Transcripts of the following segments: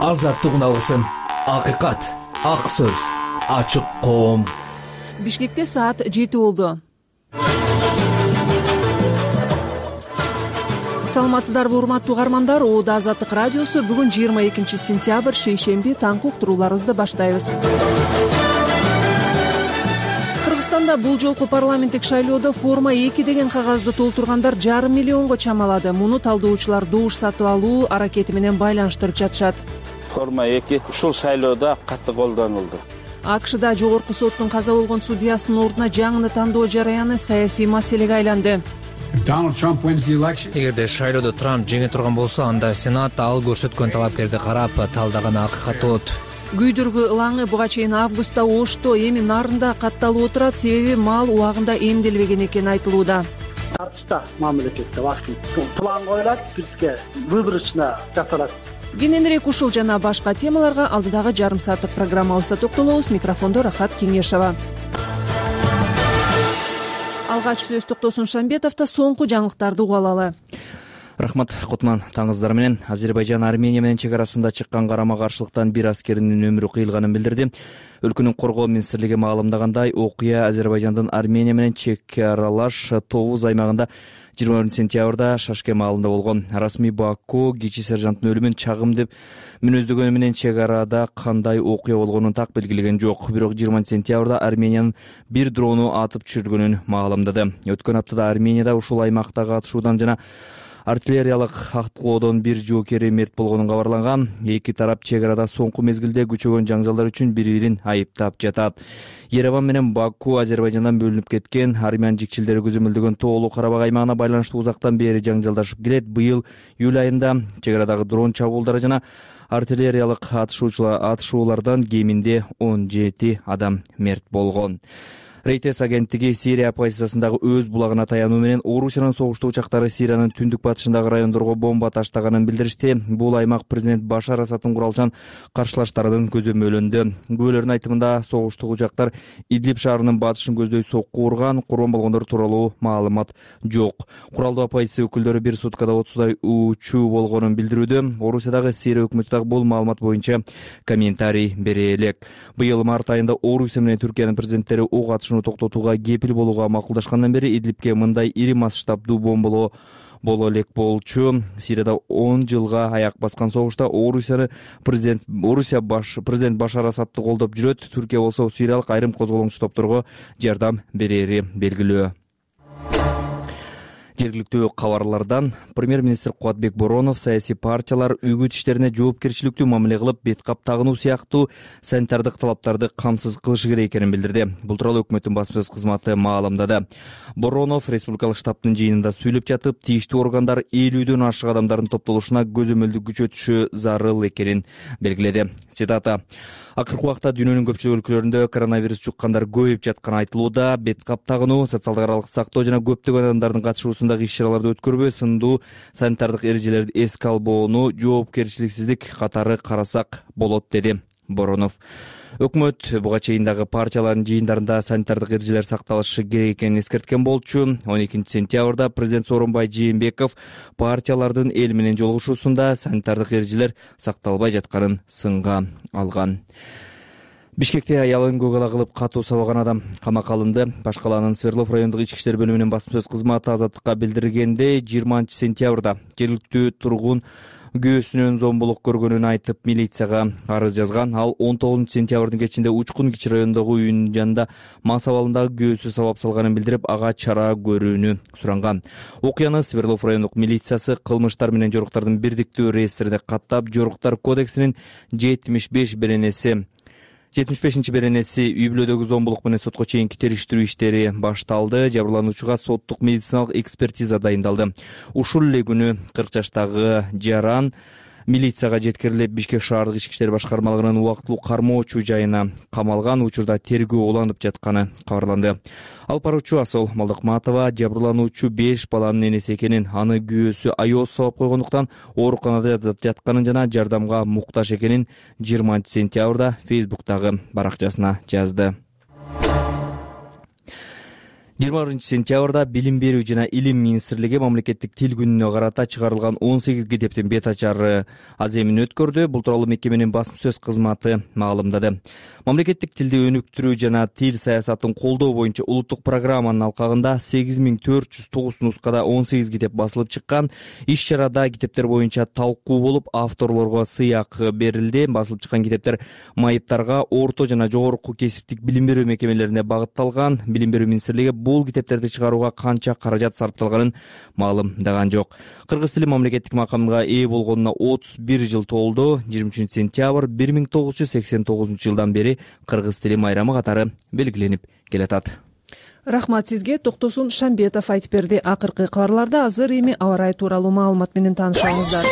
Азаттыгын алгысың. Акыйкат, ак сөз, ачык коом. Бишкекте саат 7 болду. Саламатсыздарбы урматтуу угармандар? Оода Азаттык радиосу бүгүн 22 сентябрь шейшемби таңкы уктурууларыбызды баштайбыз. Кыргызстанда бул жолку парламенттик шайлоодо форма 2 деген кагазды толтургандар 1,5 миллионго чамалады. Муну талдоочулар добуш сатып алуу аракети менен байланыштырып жатышат. Форма 2 ушул шайлоодо катты колдонулду. АКШда жогорку соттун каза болгон судьясынын ордуна жаңыны тандоо жараяны саясий маселеге айланды. Эгерде шайлоодо Трамп жеңе турган болсо, анда Сенат ал көрсөткөн талапкерди карап тaldаган акыйкат болот. Күйдүргү ылаңы буга чейин августта Ошто, эми Нарында катталып отурат, себеби мал убагында эмделбеген экени айтылууда. Тартышта мамлекетте вакцина план коюлат, бизге выборочно жасалат. Кененирээк ушул жана башка темаларга алдыдагы жарым сааттык программабызда токтолобуз. Микрофондо Рахат Кеңешова. Алгач сөз Токтосун Шамбетовдо соңку жаңылыктарды угуп алалы. Рахмат, Кутман. Таңыздар менен. Азербайжан Армения менен чек арасында чыккан карама-каршылыктан бир аскеринин өмүрү кыйылганын билдирди. Өлкөнүн коргоо министрлиги маалымдагандай, окуя Азербайжандын Армения менен чек аралаш Товуз аймагында 20 сентябрда Шашке маалында болгон. Расмий Баку кичи сержанттын өлүмүн чагым деп мүнөздөгөнү менен чек арада кандай окуя болгонун так белгилеген жок. Бирок 20 сентябрда Армениянын бир дрону атып түшүргөнүн маалымдады. Өткөн аптада Арменияда ушул аймактагы атышуудан жана артиллериялык аткылоодон бир жоокери мерт болгонун кабарланган. Эки тарап чек арада соңку мезгилде күчөгөн жаңжалдар үчүн бири-бирин айыптап жатат. Ереван менен Баку Азербайжандан бөлүнүп кеткен армян жикчилдери көзөмөлдөгөн Тоолуу Карабак аймагына байланыштуу узактан бери жаңжалдашып келет. Быйыл июль айында чек арадагы дрон чабуулдары жана артиллериялык атышуулардан кеминде 17 адам мерт болгон. Рейтес агенттиги Сирия оппозициясындагы өз булагына таянуу менен Орусиянын согуштуу учактары Сириянын түндүк батышындагы райондорго бомба таштаганын билдиришти. Бул аймак президент Башар Асадтын куралчан каршылаштарынын көзөмөлүндө. Күбөлөрдүн айтымында согуштуу учактар Идлиб шаарынын батышын көздөй сокку урган, курман болгондор тууралуу маалымат жок. Куралдуу оппозиция өкүлдөрү бир суткада 30дай учуу болгонун билдирүүдө. Орусиядагы Сирия өкмөтү дагы бул маалымат боюнча комментарий бере элек. Быйыл март айында Орусия менен Түркиянын президенттери ок токтотууга кепил болууга макулдашкандан бери Идлибке мындай ири масштабдуу бомбалоо боло элек болчу. Сирияда 10 жылга аяк баскан согушта президент Башар Асадты колдоп жүрөт. Түркия болсо сириялык айрым козголоңчу топторго жардам берери белгилүү. Жергиликтүү кабарлардан премьер-министр Кубатбек Боронов саясий партиялар үгүт иштерине жоопкерчиликтүү мамиле кылып, бет кап тагынуу сыяктуу санитардык талаптарды камсыз кылышы керек экенин билдирди. Бул тууралуу өкмөттүн басма сөз кызматы маалымдады. Боронов республикалык штабтын жыйынында сүйлөп жатып, тийиштүү органдар 50дөн ашык адамдардын топтолушуна көзөмөлдү күчөтүшү зарыл экенин белгиледи. Цитата: акыркы убакта дүйнөнүн көпчүлүк өлкөлөрүндө коронавирус жуккандар көбөйүп жатканы айтылууда. Бет кап тагынуу, социалдык аралык сактоо жана көптөгөн адамдардын катышуусундагы иш-чараларды өткөрбөө сындуу санитардык эрежелерди эске албоону жоопкерчиликсиздик катары карасак болот, деди Боронов. Өкмөт буга чейин дагы партиялардын жыйындарында санитардык эрежелер сакталышы керек экенин эскерткен болчу. 12 сентябрда президент Сооронбай Жээнбеков партиялардын эл менен жолугушуусунда санитардык эрежелер сакталбай жатканын сынга алган. Бишкекте аялын көк ала кылып катуу сабаган адам камакка алынды. Баш калаанын Свердлов райондук ички иштер бөлүмүнүн басма сөз кызматы Азаттыкка билдиргендей, 20 сентябрда жергиликтүү тургун күйөөсүнөн зомбулук көргөнүн айтып милицияга арыз жазган. Ал 19 сентябрдын кечинде Учкун кичи районундагы үйүнүн жанында мас абалындагы күйөөсү сабап салганын билдирип, ага чара көрүүнү суранган. Окуяны Свердлов райондук милициясы кылмыштар менен жоруктардын бирдиктүү реестрине каттап, жоруктар кодексинин 75-чи беренеси үй бүлөдөгү зомбулук менен сотко чейинки териштирүү иштери башталды. Жабырлануучуга соттук медициналык экспертиза дайындалды. Ушул эле күнү 40 жаштагы Жаран милицияга жеткирилип, Бишкек шаардык ички иштер башкармалыгынын убактылуу кармоочу жайына камалган. Учурда тергөө уланып жатканы кабарланды. Алып баруучу Асол Малдыкматова жабырлануучу 5 баланын энеси экенин, аны күйөөсү айоос сабап койгондуктан ооруканада жатканын жана жардамга муктаж экенин 20 сентябрда Фейсбуктагы баракчасына жазды. 20-сентябрда Билим берүү жана Илим министрлиги мамлекеттик тил күнүнө карата чыгарылган 18 китептин бет ачары аземин өткөрдү. Бул тууралуу мекеменин басма сөз кызматы маалымдады. Мамлекеттик тилди өнүктүрүү жана тил саясатын колдоо боюнча улуттук программанын алкагында 8409 нускада 18 китеп басылып чыккан. Иш-чарада китептер боюнча талкуу болуп, авторлорго сыйак берилди. Басылып чыккан китептер майыптарга, орто жана жогорку кесиптик билим берүү мекемелерине багытталган. Билим берүү министрлиги бул китептерди чыгарууга канча каражат сарпталганын маалымдаган жок. Кыргыз тили мамлекеттик макамга ээ болгонуна 31 жыл толду. 23-сентябрь 1989-жылдан бери кыргыз тили майрамы катары белгиленип келатат. Рахмат сизге. Токтосун Шамбетов айтып берди. Акыркы кабарларда азыр эми аба ырайы тууралуу маалымат менен таанышабыздар.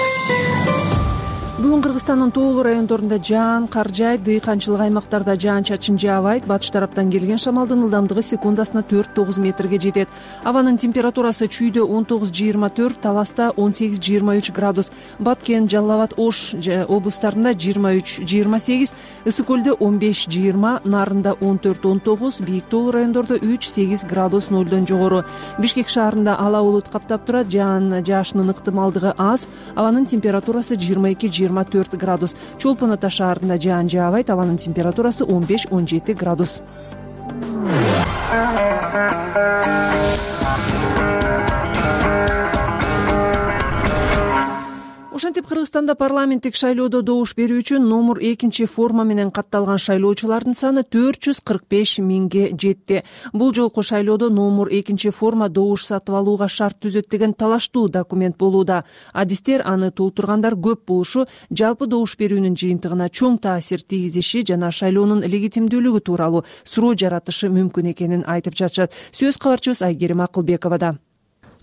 Бүгүн Кыргызстандын тоолуу райондорунда жаан кар жаайт, дыйканчылык аймактарда жаан-чачын жаабайт. Батыш тараптан келген шамалдын ылдамдыгы секундасына 4-9 метрге жетет. Абанын температурасы чүйдө 19-24, Таласта 18-23 градус, Баткен, Жалал Абад, Ош облустарында 23-28, Ысык көлдө 15-20, Нарында 14-19, бийик тоолуу райондордо 3-8 градус нөлдөн жогору. Бишкек шаарында ала булут каптап турат, жаан жаашынын ыктымалдыгы аз, абанын температурасы 22-24 градус. Чолпон Ата шаарында жаан жаабайт, абанын температурасы 15-17 градус. Ошентип Кыргызстанда парламенттик шайлоодо добуш берүү үчүн номер 2 форма менен катталган шайлоочулардын саны 445 миңге жетти. Бул жолку шайлоодо номер 2 форма добуш сатып алууга шарт түзөт деген талаштуу документ болууда. Адистер аны толтургандар көп болушу жалпы добуш берүүнүн жыйынтыгына чоң таасир тийгизиши жана шайлоонун легитимдүүлүгү тууралуу суроо жаратышы мүмкүн экенин айтып жатышат. Сөз кабарчыбыз Айгерим Акылбековада.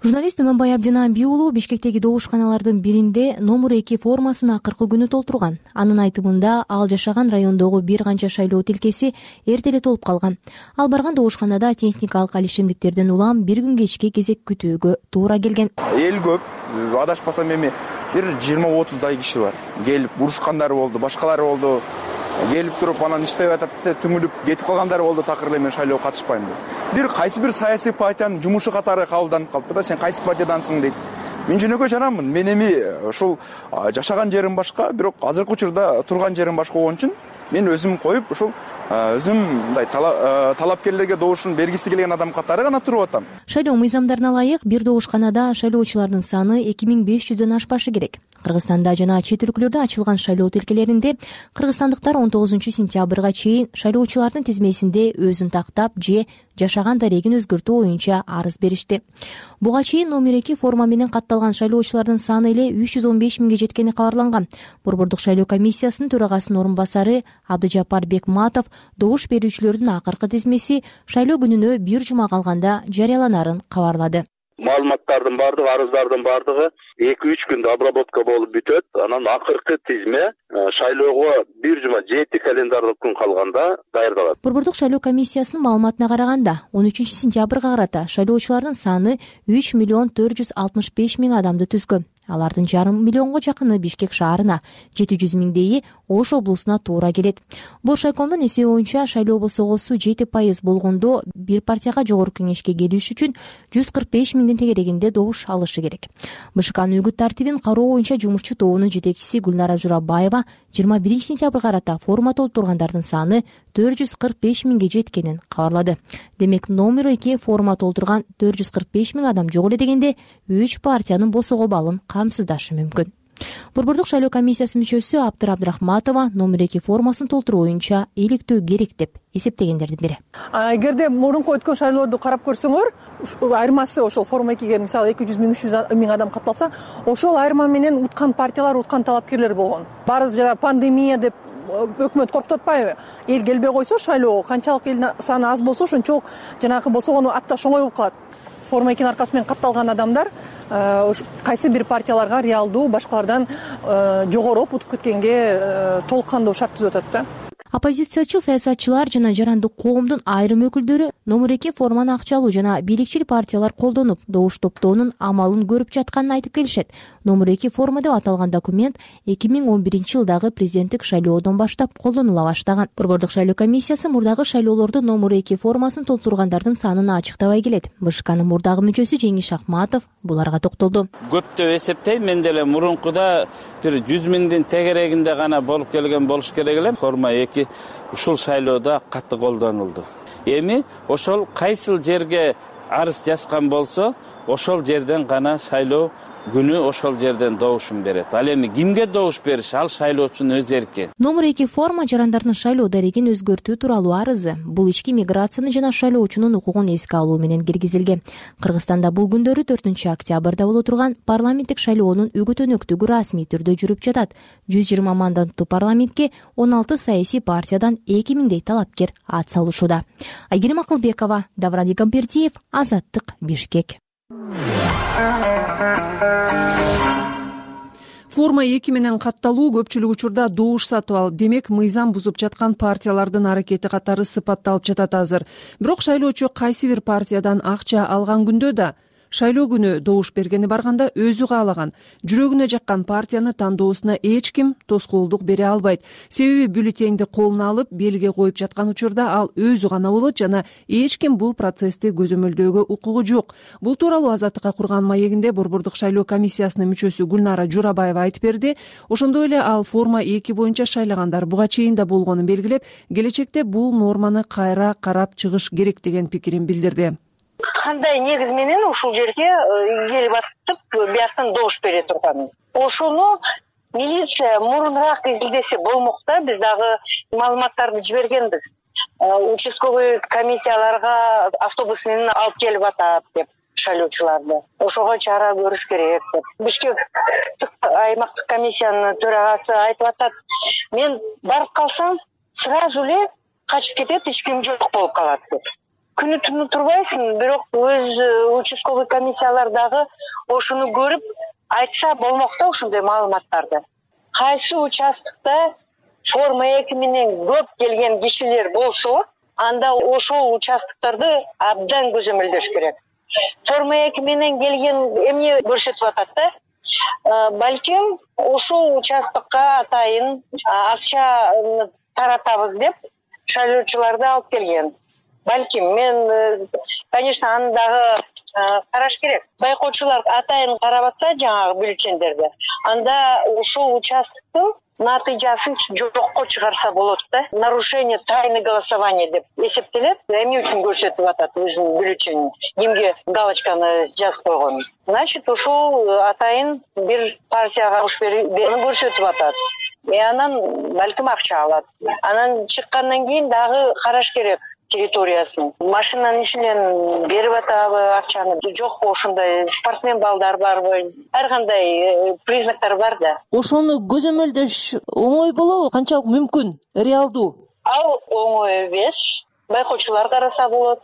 Журналист Өмөнбай Абдинан уулу Бишкектеги добушканалардын биринде номер 2 формасын акыркы күнү толтурган. Анын айтымында ал жашаган райондогу бир канча шайлоо тилкеси эрте эле толуп калган. Ал барган добушканада техникалык алишемдиктерден улам бир күн кечке кезек күтүүгө туура келген. Эл көп, адашпасам эми бир 20-30 киши бар. Келип урушкандар болду, башкалар болду. Келип туруп анан иштеп атат десе түңүлүп кетип калгандар болду, такыр эле мен шайлоого катышпайм деп. Кайсы бир саясий партиянын жумушу катары кабылданып калыптыр да, сен кайсы партиядансың дейт. Мен жөнөкөй жаранмын. Мен эми ушул жашаган жерим башка, бирок азыркы учурда турган жерим башка болгон үчүн мен өзүм коюп ушул өзүм мындай талапкерлерге добушун бергиси келген адам катары гана туруп атам. Шайлоо мыйзамдарына ылайык бир добушканада шайлоочулардын саны 2500дөн ашпашы керек. Кыргызстанда жана чет өлкөлөрдө ачылган шайлоо тилкелеринде кыргызстандыктар 19-сентябрга чейин шайлоочулардын тизмесинде өзүн тактап же жашаган дарегин өзгөртүү боюнча арыз беришти. Буга чейин номер 2 форма менен катталган шайлоочулардын саны эле 315 миңге жеткени кабарланган. Борбордук шайлоо комиссиясынын төрагасынын орун басары Абдыжапар Бекматов добуш берүүчүлөрдүн акыркы тизмеси шайлоо күнүнө бир жума калганда жарыяланарын кабарлады. Маалыматтардын бардыгы, арыздардын бардыгы 2-3 күндө обработка болуп бүтөт. Анан акыркы тизме шайлоого бир жума 7 календарлык күн калганда даярдалат. Борбордук шайлоо комиссиясынын маалыматына караганда 13-сентябрга карата шайлоочулардын саны 3,465 миң адамды түзгөн. Алардын 500 миллионго жакыны Бишкек шаарына, 700 миңдейи Ош облусуна туура келет. Боршайкомдун эсеби боюнча шайлоо босогосу 7% болгондо бир партияга жогорку кеңешке келиш үчүн 145 миңдин тегерегинде добуш алышы керек. БШКнын үгүт тартибин кароо боюнча жумушчу тобунун жетекчиси Гүлнара Журабаева 21-сентябрга карата форма толтургандардын саны 445 миңге жеткенин кабарлады. Демек номер 2 форма толтурган 445 миң адам жок эле дегенде 3 партиянын босого балын камсыздашы мүмкүн. Борбордук шайлоо комиссиясынын мүчөсү Аптыр Абдрахматова номер 2 формасын толтуруу боюнча иликтөө керек деп эсептегендердин бири. Эгерде мурунку өткөн шайлоодо карап көрсөңөр, айырмасы ошол форма 2ге мисалы 200 миң 300 миң адам катталса, ошол айырма менен уткан партиялар, уткан талапкерлер болгон. Баарыбыз жана пандемия деп өкмөт коркутуп атпайбы? Эл келбей койсо шайлоого канчалык эл саны аз болсо ошончолук жанагы босогону атташ оңой болуп калат. Форма 2 аркасы менен катталган адамдар кайсы бир партияларга реалдуу башкалардан жогору утуп кеткенге толук кандуу шарт түзүп атат да. Оппозициячыл саясатчылар жана жарандык коомдун айрым өкүлдөрү номер 2 форманы акчалуу жана бийликчил партиялар колдонуп добуш топтоонун амалын көрүп жатканын айтып келишет. Номер 2 форма деп аталган документ 2011-жылдагы президенттик шайлоодон баштап колдонула баштаган. Борбордук шайлоо комиссиясы мурдагы шайлоолордо номер 2 формасын толтургандардын санын ачыктабай келет. БШКнын мурдагы мүчөсү Жеңиш Акматов буларга токтолду. Көп деп эсептейм, мен деле мурункуда бир 100 миңдин тегерегинде гана болуп келген болуш керек эле. Форма 2 ушул шайлоодо катты колдонулду. Эми ошол кайсыл жерге арыз жазган болсо, ошол жерден гана шайлоо күнү ошол жерден добушун берет. Ал эми кимге добуш бериш, ал шайлоочунун өз эрки. Номер 2 форма жарандардын шайлоо дарегин өзгөртүү тууралуу арызы. Бул ички миграцияны жана шайлоочунун укугун эске алуу менен киргизилген. Кыргызстанда бул күндөрү 4-октябрда боло турган парламенттик шайлоонун үгүт-өнөктүгү расмий түрдө жүрүп жатат. 120 мандаттуу парламентке 16 саясий партиядан 2000дей талапкер ат салышууда. Айгерим Акылбекова, Давран Игамбердиев, Азаттык, Бишкек. Форма 2 менен катталуу көпчүлүк учурда добуш сатып алып, демек мыйзам бузуп жаткан партиялардын аракети катары сыпатталып жатат азыр. Бирок шайлоочу кайсы бир партиядан акча алган күндө да шайлоо күнү добуш бергени барганда өзү каалаган, жүрөгүнө жаккан партияны тандоосуна эч ким тоскоолдук бере албайт. Себеби бюллетенди колуна алып, белге коюп жаткан учурда ал өзү гана болот жана эч ким бул процессти көзөмөлдөөгө укугу жок. Бул тууралуу Азаттыкка курган маегинде Борбордук шайлоо комиссиясынын мүчөсү Гүлнара Журабаева айтып берди. Ошондой эле ал форма 2 боюнча шайлагандар буга чейин да болгонун белгилеп, келечекте бул норманы кайра карап чыгыш керек деген пикирин билдирди. Кандай негиз менен ушул жерге келип атып, бияктан добуш бере турган. Ошону милиция мурунураак изилдесе болмок да, биз дагы маалыматтарды жибергенбиз. Участковый комиссияларга автобус менен алып келип атат деп шайлоочуларды. Ошого чара көрүш керек деп. Бишкек аймактык комиссиянын төрагасы айтып атат. Мен барып калсам, сразу эле качып кетет, эч ким жок болуп калат деп. Күнү түнү турбайсың, бирок өз участковый комиссиялар дагы ошону көрүп айтса болмок да ушундай маалыматтарды. Кайсы участкта форма 2 менен көп келген кишилер болсо, анда ошол участкаларды абдан көзөмөлдөш керек. Форма 2 менен келген эмне көрсөтүп атат да? Балким ошол участкка атайын акча таратабыз деп шайлоочуларды алып келген. Балким, мен, конечно, аны дагы караш керек. Байкоочулар атайын карап атса жаңагы бюллетендерди, анда ошол участкын натыйжасын жокко чыгарса болот да. Нарушение тайны голосования деп эсептелет. Эмне үчүн көрсөтүп атат өзүнүн бюллетенин, кимге галочканы жазып койгон. Значит, ошол атайын бир партияга добуш бергенин көрсөтүп атат. Анан балким акча алат. Анан чыккандан кийин дагы караш керек территориясын. Машинанын ичинен берип атабы акчаны, жокпу ошондой спортсмен балдар барбы? Ар кандай признактар бар да. Ошону көзөмөлдөш оңой болобу? Канчалык мүмкүн? Реалдуу? Ал оңой эмес. Байкоочулар караса болот.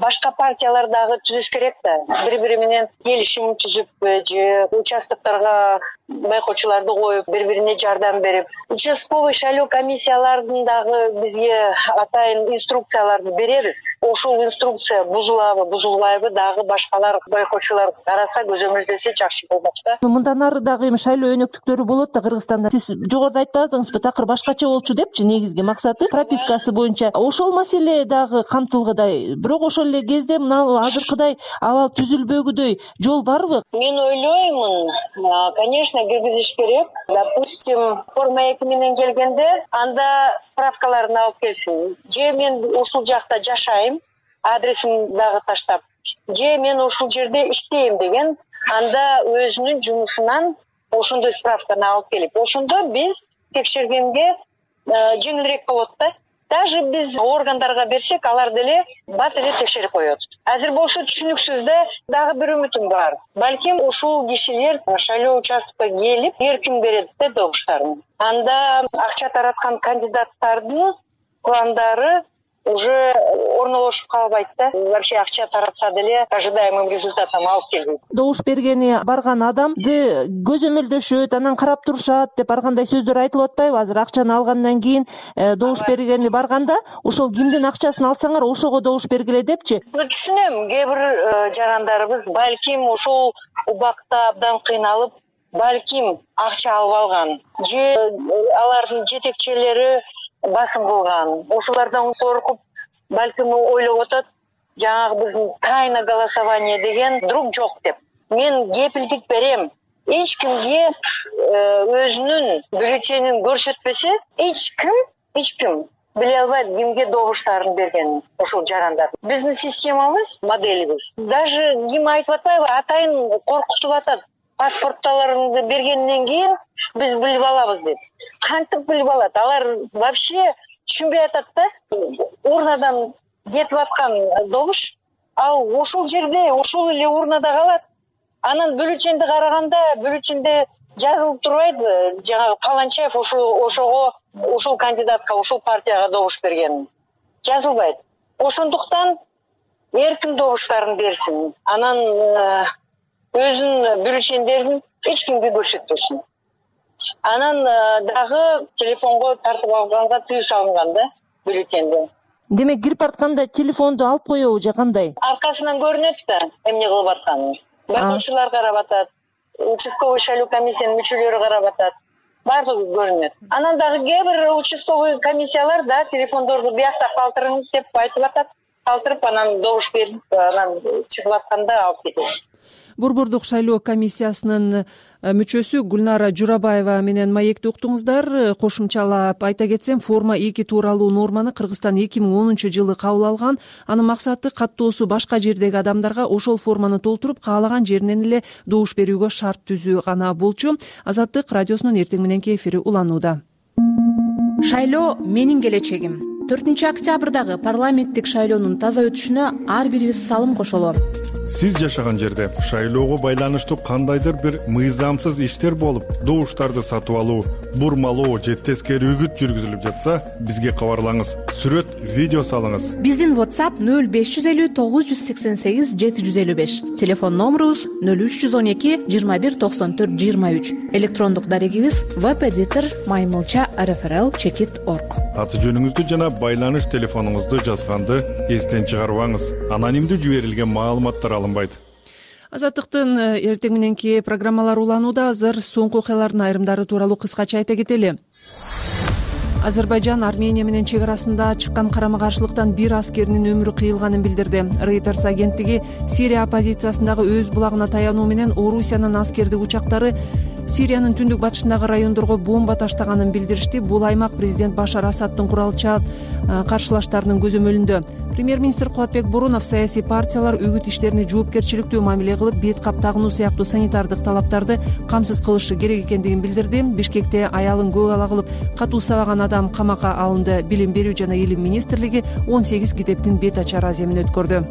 Башка партиялар дагы түзүш керек да. Бири-бири менен келишим түзүп же участокторго байкоочуларды коюп, бири-бирине жардам берип, участковый шайлоо комиссиялардын дагы бизге атайын инструкцияларды беребиз. Ошол инструкция бузулабы, бузулбайбы дагы башкалар байкоочулар караса, көзөмөлдөсө жакшы болмок да. Мындан ары дагы шайлоо өнөктүктөрү болот да Кыргызстанда. Сиз жогоруда айтып атыңызбы, такыр башкача болчу депчи, негизги максаты пропискасы боюнча. Ошол маселе дагы камтылгыдай. Бирок ошол эле кезде мына азыркыдай абал түзүлбөгүдөй жол барбы? Мен ойлоймун, конечно, киргизиш керек. Допустим, форма 2 менен келгенде, анда справкаларын алып келсин. Же мен ушул жакта жашайм, адресин дагы таштап. Же мен ушул жерде иштейм деген, анда өзүнүн жумушунан ошондой справканы алып келип, ошондо биз текшергенге жеңилирээк болот да. Даже биз органдарга берсек, алар деле бат эле текшерип коет. Азыр болсо түшүнүксүз да, дагы бир үмүтүм бар. Балким ушул кишилер шайлоо участкага келип, эркин берет да добуштарын. Анда акча тараткан кандидаттардын пландары уже орнолошуп калбайт да. Вообще акча таратса деле ожидаемым результатам алып келбейт. Добуш бергени барган адамды көзөмөлдөшөт, анан карап турушат деп ар кандай сөздөр айтылып атпайбы? Азыр акчаны алгандан кийин добуш бергени барганда ошол кимдин акчасын алсаңар ошого добуш бергиле депчи. Түшүнөм, кээ бир жарандарыбыз балким ошол убакта абдан кыйналып, балким акча алып алган же алардын жетекчилери басым кылган. Ошолордон коркуп, балким ойлоп атат, жаңагы биздин тайна голосование деген друг жок деп. Мен кепилдик берем. Эч кимге өзүнүн бюллетенин көрсөтпөсө, эч ким биле албайт кимге добуштарын бергенин. Ошол жарандар. Биздин системабыз, моделибиз. Даже ким айтып атпайбы, атайын коркутуп атат. Паспортталарыңды бергенден кийин биз билип алабыз деп. Кантип билип алат? Алар вообще түшүнбөй атат да. Урнадан кетип аткан добуш ал ошол жерде, ошол эле урнада калат. Анан бюллетенди караганда, бюллетенде жазылып турбайбы, жаңагы Каланчаев ошол кандидатка, ошол партияга добуш берген. Жазылбайт. Ошондуктан эркин добуштарын берсин. Анан өзүнүн бюллетендерин эч кимге көрсөтпөсүн. Анан дагы телефонго тартып алганга тыюу салынган да бюллетенди. Демек кирип баратканда телефонду алып коебу же кандай? Аркасынан көрүнөт да эмне кылып атканын. Байкоочулар карап атат, участковый шайлоо комиссиянын мүчөлөрү карап атат. Бардыгы көрүнөт. Анан дагы кээ бир участковый комиссиялар да телефондорду биякта калтырыңыз деп айтып атат. Калтырып анан добуш берип, анан чыгып атканда алып кетет. Борбордук шайлоо комиссиясынын мүчөсү Гүлнара Журабаева менен маекти уктуңуздар. Кошумчалап айта кетсем, форма 2 тууралуу норманы Кыргызстан 2010 жылы кабыл алган. Анын максаты каттоосу башка жердеги адамдарга ошол форманы толтуруп каалаган жеринен эле добуш берүүгө шарт түзүү гана болчу. Азаттык радиосунун эртең мененки эфири уланууда. Шайлоо менин келечегим. 4-октябрдагы парламенттик шайлоонун таза өтүшүнө ар бирибиз салым кошолу. Сиз жашаган жерде шайлоого байланыштуу кандайдыр бир мыйзамсыз иштер болуп, добуштарды сатып алуу, бурмалоо же тескери үгүт жүргүзүлүп жатса, бизге кабарлаңыз. Сүрөт, видео салыңыз. Биздин WhatsApp 0550 988 755. Телефон номерубуз 0312 21 94 23. Электрондук дарегибиз webeditor@rfrl.org. Аты жөнүңүздү жана байланыш телефонуңузду жазганды эстен чыгарбаңыз. Анонимдүү жиберилген маалыматтар алынбайт. Азаттыктын эртең мененки программалары уланууда. Азыр соңку окуялардын айрымдары тууралуу кыскача айта кетели. Азербайжан Армения менен чек арасында чыккан карама-каршылыктан бир аскеринин өмүрү кыйылганын билдирди. Reuters агенттиги Сирия оппозициясындагы өз булагына таянуу менен Орусиянын аскердик учактары Сириянын түндүк батышындагы райондорго бомба таштаганын билдиришти. Бул аймак президент Башар Асадтын куралча каршылаштарынын көзөмөлүндө. Премьер-министр Кубатбек Борунов саясий партиялар үгүт иштерине жоопкерчиликтүү мамиле кылып, бет кап тагынуу сыяктуу санитардык талаптарды камсыз кылышы керек экендигин билдирди. Бишкекте аялын көк ала кылып катуу сабаган адам камакка алынды. Билим берүү жана илим министрлиги 18 китептин бет ачар аземин өткөрдү.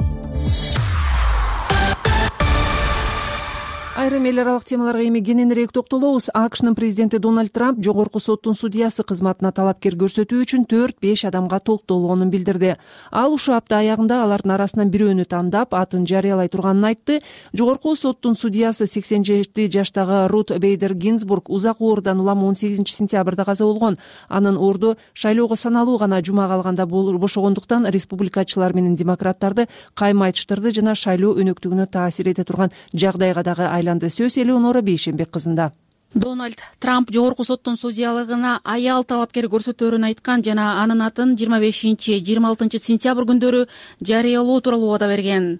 Айрым эл аралык темаларга эми кененирээк токтолобуз. АКШнын президенти Дональд Трамп жогорку соттун судьясы кызматына талапкер көрсөтүү үчүн 4-5 адамга толуктолгонун билдирди. Ал ушул апта аягында алардын арасынан бирөөнү тандап, атын жарыялай турганын айтты. Жогорку соттун судьясы 87 жаштагы Рут Бейдер Гинзбург узак оорудан улам 18 сентябрда каза болгон. Анын орду шайлоого саналуу гана жума калганда бошогондуктан республикачылар менен демократтарды кайма айтыштырды жана шайлоо өнөктүгүнө таасир эте турган жагдайга дагы айланды. Сөз Элеонора Бейшенбек кызында. Дональд Трамп жогорку соттун судьялыгына аял талапкер көрсөтөөрүн айткан жана анын атын 25-26 сентябрь күндөрү жарыялоо тууралуу убада берген.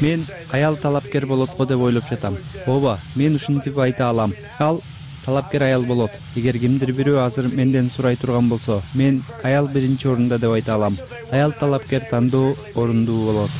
Мен аял талапкер болот го деп ойлоп жатам. Ооба, мен ушинтип айта алам. Ал талапкер аял болот. Эгер кимдир бирөө азыр менден сурай турган болсо, мен аял биринчи орунда деп айта алам. Аял талапкер тандоо орундуу болот.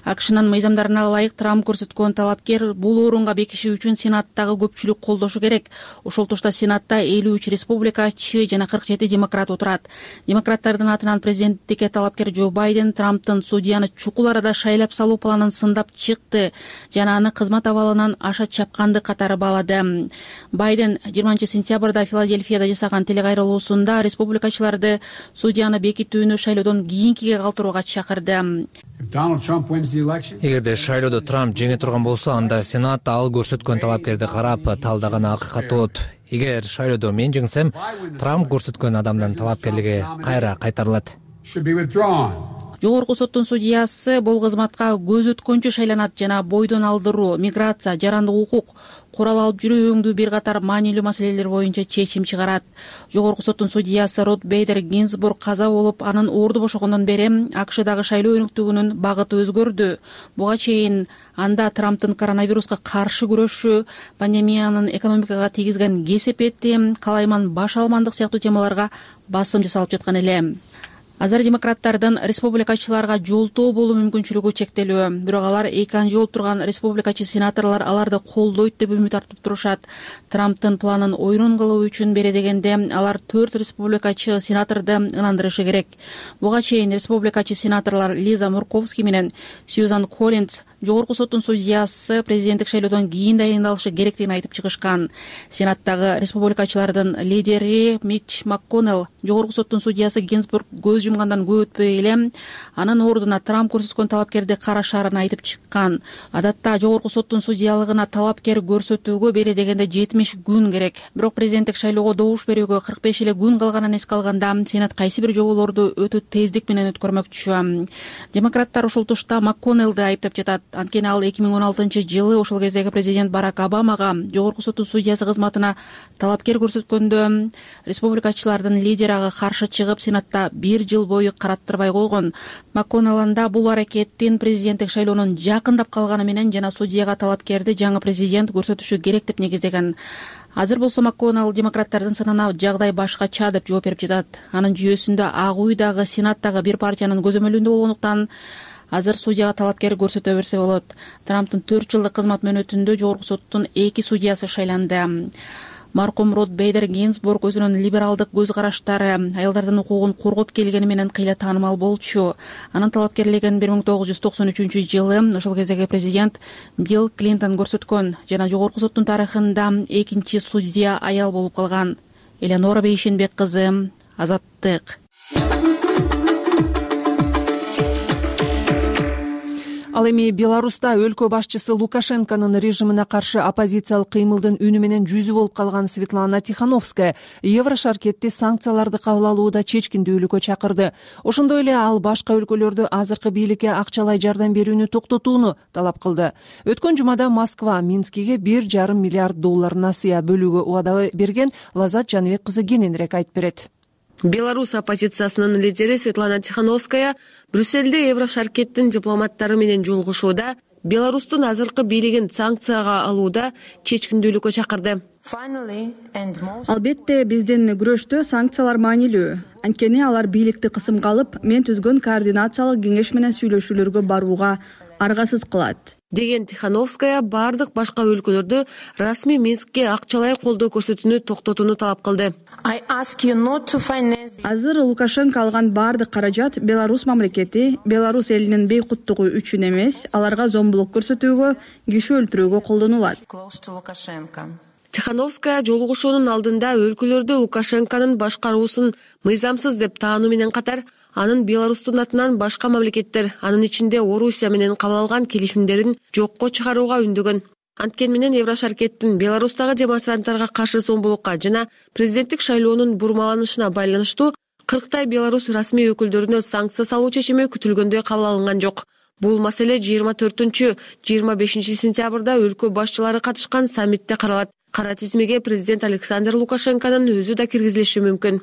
акшнын мыйзамдарына ылайык Трамп көрсөткөн талапкер бул орунга бекиши үчүн сенаттагы көпчүлүк колдошу керек. Ошол тушта сенатта 53 республикачы жана 47 демократ отурат. Демократтардын атынан президенттикке талапкер Джо Байден Трамптын судьяны чукул арада шайлап салуу планын сындап чыкты жана аны кызмат абалынан аша чапканды катары баалады. Байден 20 сентябрда Филадельфияда жасаган телекайрылуусунда республикачыларды судьяны бекитүүнү шайлоодон кийинкиге калтырууга чакырды. Эгерде шайлоодо Трамп жеңе турган болсо, анда Сенат ал көрсөткөн талапкерди карап талдаган акыкат болот. Эгер шайлоодо мен жеңсем, Трамп көрсөткөн адамдын талапкерлиги кайра кайтарылат. Жогорку соттун судьясы бул кызматка көз өткөнчү шайланат жана бойдон алдыруу, миграция, жарандык укук, курал алып жүрүү өңдүү бир катар маанилүү маселелер боюнча чечим чыгарат. Жогорку соттун судьясы Рут Бейдер Гинзбург каза болуп, анын орду бошогондон бери АКШдагы шайлоо өнүктүгүнүн багыты өзгөрдү. Буга чейин анда Трамптын коронавируска каршы күрөшүү, пандемиянын экономикага тийгизген кесепети, калайман баш алмандык сыяктуу темаларга басым жасалып жаткан эле. Азыр демократтардын республикачыларга жолтоо болуу мүмкүнчүлүгү чектелүү. Бирок алар эки анжы болуп турган республикачы сенаторлор аларды колдойт деп үмүт артып турушат. Трамптын планын ойрон кылуу үчүн бере дегенде алар 4 республикачы сенаторду ынандырышы керек. Буга чейин республикачы сенаторлор Лиза Мурковски менен Сьюзан Коллинс жогорку соттун судьясы президенттик шайлоодон кийин дайындалышы керектигин айтып чыгышкан. Сенаттагы республикачылардын лидери Митч МакКоннелл жогорку соттун судьясы Гинзбург көз жумгандан көп өтпөй эле анын ордуна Трамп көрсөткөн талапкерди карашаарын айтып чыккан. Адатта жогорку соттун судьялыгына талапкер көрсөтүүгө бере дегенде 70 күн керек. Бирок президенттик шайлоого добуш берүүгө 45 эле күн калганын эске алганда Сенат кайсы бир жоболорду өтө тездик менен өткөрмөкчү. Демократтар ушул тушта МакКоннеллди айыптап жатат. Анткени ал 2016-жылы ошол кездеги президент Барак Обамага жогорку соттун судьясы кызматына талапкер көрсөткөндө республикачылардын лидери ага каршы чыгып Сенатта 1 жыл бою караттырбай койгон. МакКоннелл анда бул аракеттин президенттик шайлоонун жакындап калганы менен жана судьяга талапкерди жаңы президент көрсөтүшү керек деп негиздеген. Азыр болсо МакКоннелл демократтардын сынына жагдай башкача деп жооп берип жатат. Анын жүйөсүндө Ак үй дагы Сенаттагы бир партиянын көзөмөлүндө болгондуктан азыр судьяга талапкер көрсөтө берсе болот. Трамптын 4 жылдык кызмат мөөнөтүндө жогорку соттун 2 судьясы шайланды. Маркум Рут Бейдер Гинзбург өзүнүн либералдык көз караштары, аялдардын укугун коргоп келгени менен кыйла таанымал болчу. Анын талапкерлигин 1993-жылы ошол кездеги президент Билл Клинтон көрсөткөн жана жогорку соттун тарыхында экинчи судья аял болуп калган. Элеонора Бейшенбек кызы, Азаттык. Ал эми Беларуста өлкө башчысы Лукашенконун режимине каршы оппозициялык кыймылдын үнү менен жүзү болуп калган Светлана Тихановская Еврошаркетти санкцияларды кабыл алууда чечкиндүүлүккө чакырды. Ошондой эле ал башка өлкөлөрдү азыркы бийликке акчалай жардам берүүнү токтотууну талап кылды. Өткөн жумада Москва Минскиге $1,5 миллиард насыя бөлүүгө убада берген. Лазат Жаныбек кызы кененирээк айтып берет. Беларусь оппозициясынын лидери Светлана Тихановская Брюссельде Еврошаркеттин дипломаттары менен жолугушууда Беларустун азыркы бийлигин санкцияга алууда чечкиндүүлүккө чакырды. Албетте биздин күрөштө санкциялар маанилүү. Анткени алар бийликти кысымга алып, мен түзгөн координациялык кеңеш менен сүйлөшүүлөргө барууга аргасыз кылат. Деген Тихановская бардык башка өлкөлөрдү расмий Минскке акчалай колдоо көрсөтүүнү токтотууну талап кылды. Азыр Лукашенко алган бардык каражат Беларусь мамлекети, Беларусь элинин бейкуттугу үчүн эмес, аларга зомбулук көрсөтүүгө, киши өлтүрүүгө колдонулат. Тихановская жолугушуунун алдында өлкөлөрдө Лукашенконун башкаруусун мыйзамсыз деп таануу менен катар, анын Беларустун атынан башка мамлекеттер, анын ичинде Орусия менен кабыл алган келишимдерин жокко чыгарууга үндөгөн. Анткени менен Еврошаркеттин Беларустагы демонстранттарга каршы зомбулукка жана президенттик шайлоонун бурмаланышына байланыштуу 40 Беларусь расмий өкүлдөрүнө санкция салуу чечими күтүлгөндөй кабыл алынган жок. Бул маселе 24-25 сентябрда өлкө башчылары катышкан саммитте каралат. кара тизмеге президент Александр Лукашенконун өзү да киргизилиши мүмкүн.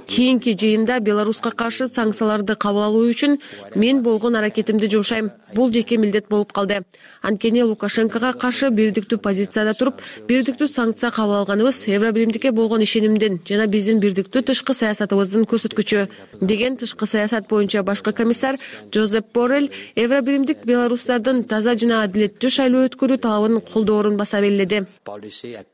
Кийинки жыйында Беларуска каршы санкцияларды кабыл алуу үчүн мен болгон аракетимди жумшайм. Бул жеке милдет болуп калды. Анткени Лукашенкого каршы бирдиктүү позицияда туруп, бирдиктүү санкция кабыл алганыбыз Евробиримдикке болгон ишенимдин жана биздин бирдиктүү тышкы саясатыбыздын көрсөткүчү, деген тышкы саясат боюнча башкы комиссар Жозеп Боррелл Евробиримдик белорустардын таза жана адилеттүү шайлоо өткөрүү талабын колдоорун баса белгиледи.